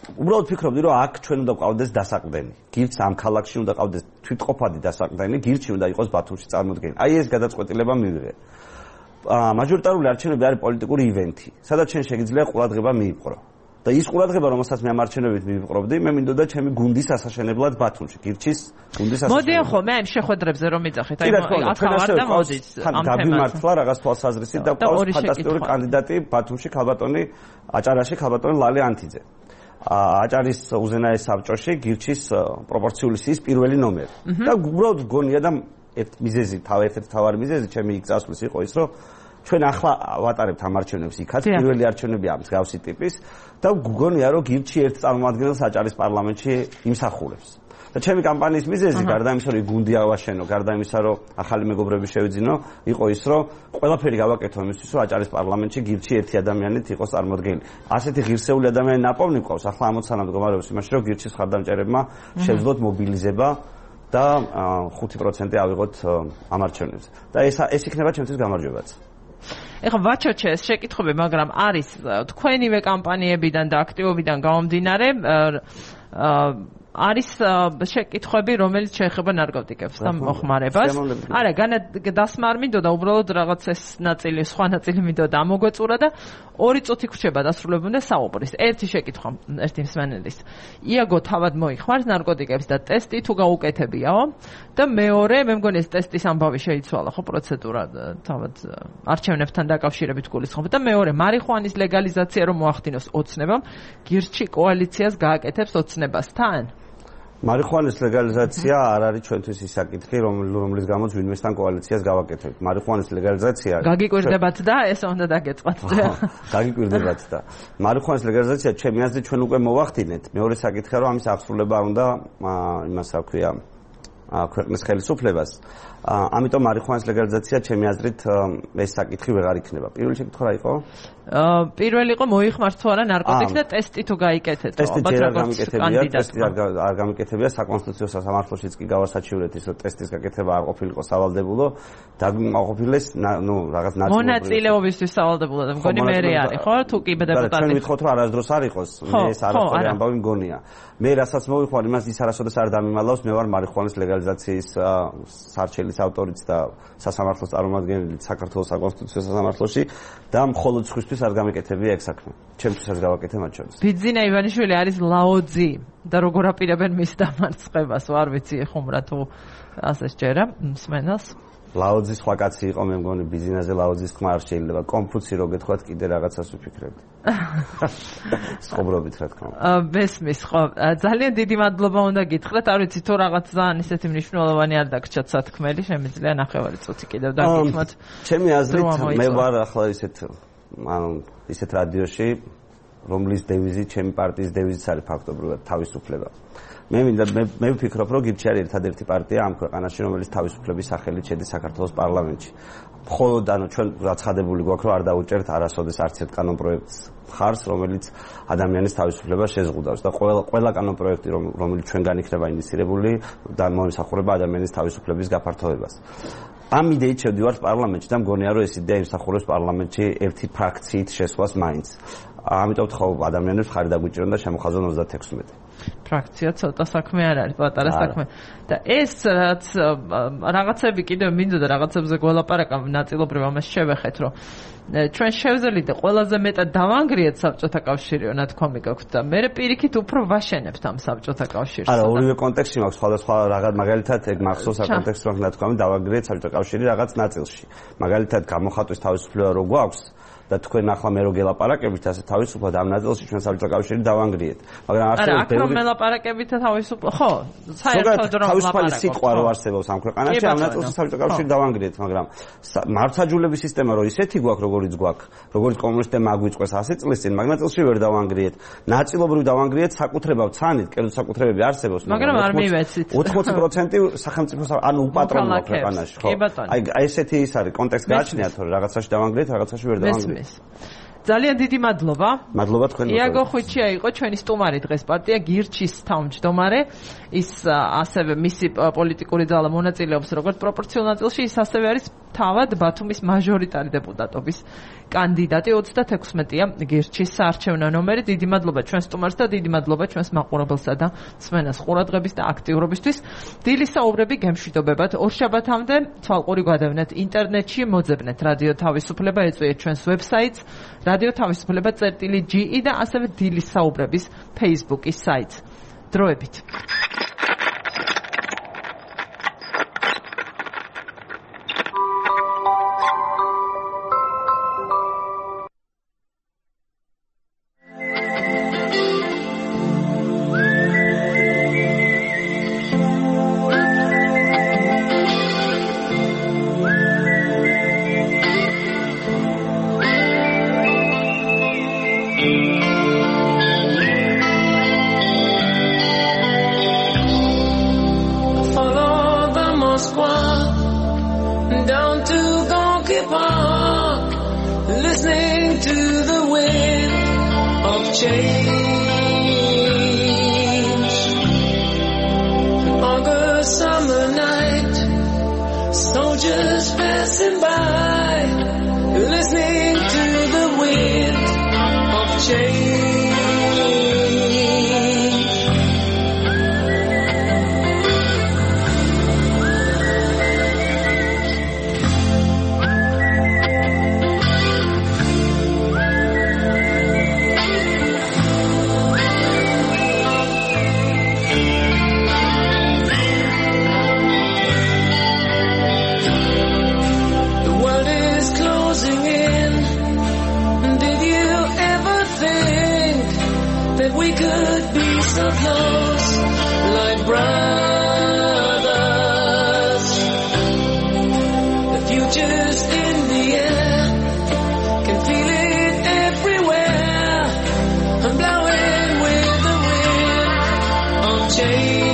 უბრალოდ ფიქრობდი, რომ აქ ჩვენ უნდა გვყავდეს დასაყრდენი. გირჩს ამ ქალაქში უნდა ყავდეს თვითყოფადი დასაყრდენი, გირჩი უნდა იყოს ბათუმში წარმოდგენილი. აი ეს გადაწყვეტილება მივიღე. მაჟორიტარული არჩევნები არის პოლიტიკური ივენთი, სადაც შენ შეგიძლია ყურადღება მიიპყრო. და ის ყურადღება, რომელსაც მე ამ არჩევნებით მივიპყრობდი, მე მინდოდა ჩემი გუნდის ასაშენებლად ბათუმში, გირჩის გუნდის ასაშენებლად. მოდიან ხო, მე ამ შეხვედრებზე რომ მიწახეთ, აი ახალ და მოდით ამ თემაზე. გამიმართლა რაღაც თვალსაზრისით და ყავს ფანტასტიკური კანდიდატი ბათუმში ქალბატონი აჭარაში ქალბატონი ლალე ანთიძე. აჭარის უზენაეს საბჭოში გირჩის პროპორციული სიის პირველი ნომერი. და უბრალოდ გონია და ერთ-ერთი თავარი მიზეზი ჩემი იქ წასვლის იყო ის, რომ ჩვენ ახლა ვატარებთ ამ არჩევნებს იქაც, პირველი არჩევნებია მსგავსი ტიპის და გგონია, რომ გირჩი ერთ წარმომადგენელს აჭარის პარლამენტში იმსახურებს. და ჩემი კამპანიის მიზეზი გარდა იმისა, რომ გუნდი ავაშენო, გარდა იმისა, რომ ახალი მეგობრები შევიძინო, იყო ის, რომ ყველაფერი გავაკეთო იმისთვის, რომ აჭარის პარლამენტში გირჩი ერთი ადამიანით იყოს წარმოდგენილი. ასეთი ღირსეული ადამიანი ნაპოვნი ყავს, ახლა ამოცანა მდგომარეობს იმაში, რომ გირჩის ხარდამჭერებმა შეძლოთ მობილიზება და 5% ავიღოთ ამ არჩევნებზე. და ეს იქნება ჩემთვის გამარჯვებაც. ეხლა ვაჩოჩე ეს შეკითხვები, მაგრამ არის თქვენივე კამპანიებიდან და აქტივობიდან გამომდინარე არის შეკითხვები, რომელიც შეეხება ნარკოტიკებს და მოხმარებას. არა, დასმა არ მინდოდა, უბრალოდ რაღაც ეს ნაწილი, სხვა ნაწილი მინდოდა ამოგვეწურა და 2 წუთი გრჩება დასრულებამდე საუბრის. ერთი შეკითხვა, ერთი მსმენელის. იაგო თავად მოიხმარს ნარკოტიკებს და ტესტი თუ გაუკეთებიაო? და მეორე, მე მგონი ეს ტესტის ამბავი შეიცვალა, ხო, პროცედურა თავად არჩევნებთან დაკავშირებით გულისხმობ და მეორე, მარიხუანის ლეგალიზაცია რომ მოახდინოს ოცნებამ, გირჩი კოალიციას გააკეთებს ოცნებასთან? მარიხუანის ლეგალიზაცია არ არის ჩვენთვის ის საკითხი, რომლის გამოც ვინმესთან კოალიციას გავაკეთებთ. მარიხუანის ლეგალიზაცია გაგიკვირდებათ და ეს უნდა დაგეწყოთ. გაგიკვირდებათ და მარიხუანის ლეგალიზაცია ჩემი აზრით ჩვენ უკვე მოვახდინეთ. მეორე საკითხია რომ ამის აღსრულება უნდა იმას რა ქვია ქვეყნის ხელისუფლებას. ამიტომ მარიხუანის ლეგალიზაცია ჩემი აზრით ეს საკითხი ვეღარ იქნება. პირველი შეკითხვა რა იყო? პირველი იყო მოიხმართ თუ არა ნარკოტიკს და ტესტი თუ გაიკეთეთ. ალბათ როგორც კანდიდატი. ტესტი არ გამიკეთებია საკონსტიტუციო სასამართლოშიც კი გავასაჩივრეთ ის რომ ტესტის გაკეთება არ ყოფილიყო სავალდებულო და გაყოფილეს რაღაც ნაწილობრივ. მონაწილეობისთვის სავალდებულო და მგონი მერე არის ხო? თუ კი დეპუტატი. ჩვენ ვითხოვთ რომ არასდროს არ იყოს. მე ეს არასდროს ამბავი მგონია. მე რასაც მოვიხმარ იმას ის არასოდეს არ დამიმალავს, მე ვარ მარიხუანის ლეგალიზაციის სარჩელის ავტორიც და სასამართლოს წარმომადგენელი საქართველოს საკონსტიტუციო სასამართლოში და მხოლოდ სხვისთვის არ გამეკეთებია ეგ საქმე. ჩემთვისაც გავაკეთე მათ შორის. ბიძინა ივანიშვილი არის ლაოძი და როგორ აპირებენ მის დამარცხებას, არ ვიცი ხუმრა თუ ასე შეერა მსმენელს. ლაოძის სხვა კაცი იყო, მე მგონი ბიძინაზე ლაოძის ხმა არ შეიძლება. კონფუცი რო გეთქვათ, კიდე რაღაცას ვიფიქრებდი. სხობრობით რა თქმა უნდა. მესმის ხო. ძალიან დიდი მადლობა უნდა გითხრათ. არ ვიცი თუ რაღაც ძალიან ისეთი მნიშვნელოვანი არ დაგჭათ სათქმელი, შემიძლია ნახევარი წუთი კიდევ დაგითმოთ. ჩემი აზრით მე ვარ ახლა ისეთ რადიოში, რომლის დევიზი ჩემი პარტიის დევიზიც არის ფაქტობრივად თავისუფლება. მე ვფიქრობ, რომ გირჩი არის ერთადერთი პარტია ამ ქვეყანაში, რომელიც თავისუფლების სახელით შედის საქართველოს პარლამენტში. მხოლოდ ჩვენ რაცხადებული გვაქვს, რომ არ დაუჭერთ არასოდეს არც ერთ კანონპროექტს ხარს, რომელიც ადამიანის თავისუფლებას შეზღუდავს და ყველა კანონპროექტი, რომელიც ჩვენგან იქნება ინიციირებული და მოემსახურება ადამიანის თავისუფლების გაფართოებას. ამ იდეით შევდივართ პარლამენტში და მგონია, რომ ეს იდეა იმსახურებს პარლამენტში ერთი ფრაქციით შესვლას მაინც. ამიტომ თქო ადამიანებს ხარი დაგვიჭირონ და შემოხაზონ 36. ფრაქცია ცოტა საქმე არ არის, პატარა საქმე. და ეს რაც რაღაცები კიდევ მინდოდა რაღაცებზე გველაპარაკა, ნაწილობრივ ამას შევეხეთ, რომ ჩვენ შევძელით და ყველაზე მეტად დავანგრიეთ საბჭოთა კავშირიო ნათქვამი გაქვთ და მე პირიქით უფრო ვაშენებთ ამ საბჭოთა კავშირს. არა, ორივე კონტექსტი მაქვს, სხვადასხვა რაღაც მაგალითად ეგ მახსოვს საკონტექსტო ნათქვამი დავანგრიეთ საბჭოთა კავშირი რაღაც ნაწილში. მაგალითად გამოხატვის თავისუფლება რო გვაქვს და თქვენ ახლა მე რო გელაპარაკებით ასე თავისუფლად ამ ნაწილში ჩვენ საბჭოთა კავშირი დავანგრიეთ. მაგრამ არსებობს ბევრი მელაპარაკებით თავისუფლად ხო, საერთოდ რომ თავისუფალი სიტყვა რო არსებობს ამ ქვეყანაში ამ ნაწილში საბჭოთა კავშირი დავანგრიეთ, მაგრამ მართლმსაჯულების სისტემა რო ისეთი გვაქვს, როგორც კომუნისტებმა აგვიწყეს 100 წლის წინ, მაგ ნაწილში ვერ დავანგრიეთ. ნაწილობრივ დავანგრიეთ, საკუთრებავ ცანით, კერძო საკუთრებები არსებობს, მაგრამ არ მივეცით. 80% სახელმწიფო ანუ უპატრონოა ქვეყანაში, ხო? აი ესეთი ის არის, კონტექსტი გააჩნიათ, რომ რაღაცაში დავანგრიეთ, რაღაცაში ვერ დავანგრიეთ. ძალიან დიდი მადლობა. მადლობა თქვენ. იაგო ხვიჩია იყო ჩვენი სტუმარი დღეს პარტია გირჩის თავმჯდომარე. ის ასევე მისი პოლიტიკური ძალა მონაწილეობს როგორც პროპორციულ ნაწილში, ის ასევე არის თავად ბათუმის მაჟორიტარი დეპუტატობის კანდიდატი 36-ია გირჩის საარჩევნო ნომერი. დიდი მადლობა ჩვენ სტუმარს და დიდი მადლობა ჩვენს მაყურებელსა და მსმენელს ყურადღების და აქტიურობისთვის. დილის საუბრები გემშვიდობებად ორშაბათამდე თვალყური გვადევნეთ ინტერნეტში, მოძებნეთ რადიო თავისუფლება, ეწვიეთ ჩვენს ვებსაიტს რადიო თავისუფლება.ge და ასევე დილის საუბრების Facebook-ის საიტს. დროებით. we could be so close, like brothers. The future's in the air, can feel it everywhere. I'm blowing with the wind of change.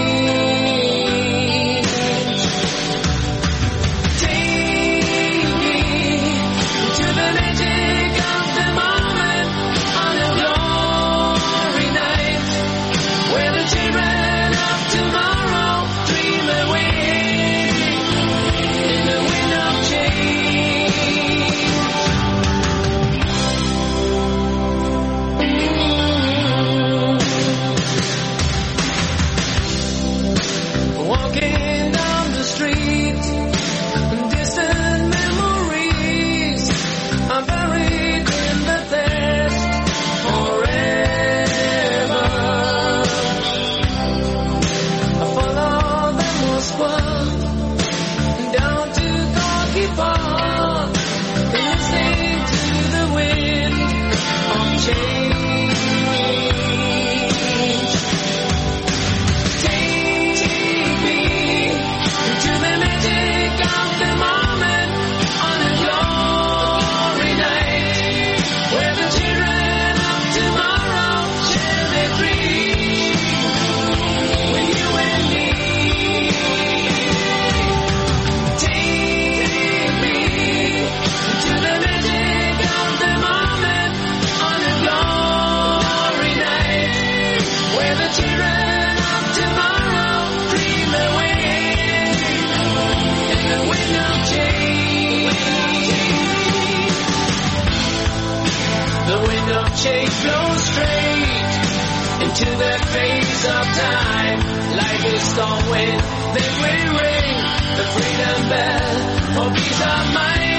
Change flows straight into that phase of time, like a storm wind. Then we ring the freedom bell, for peace of mind.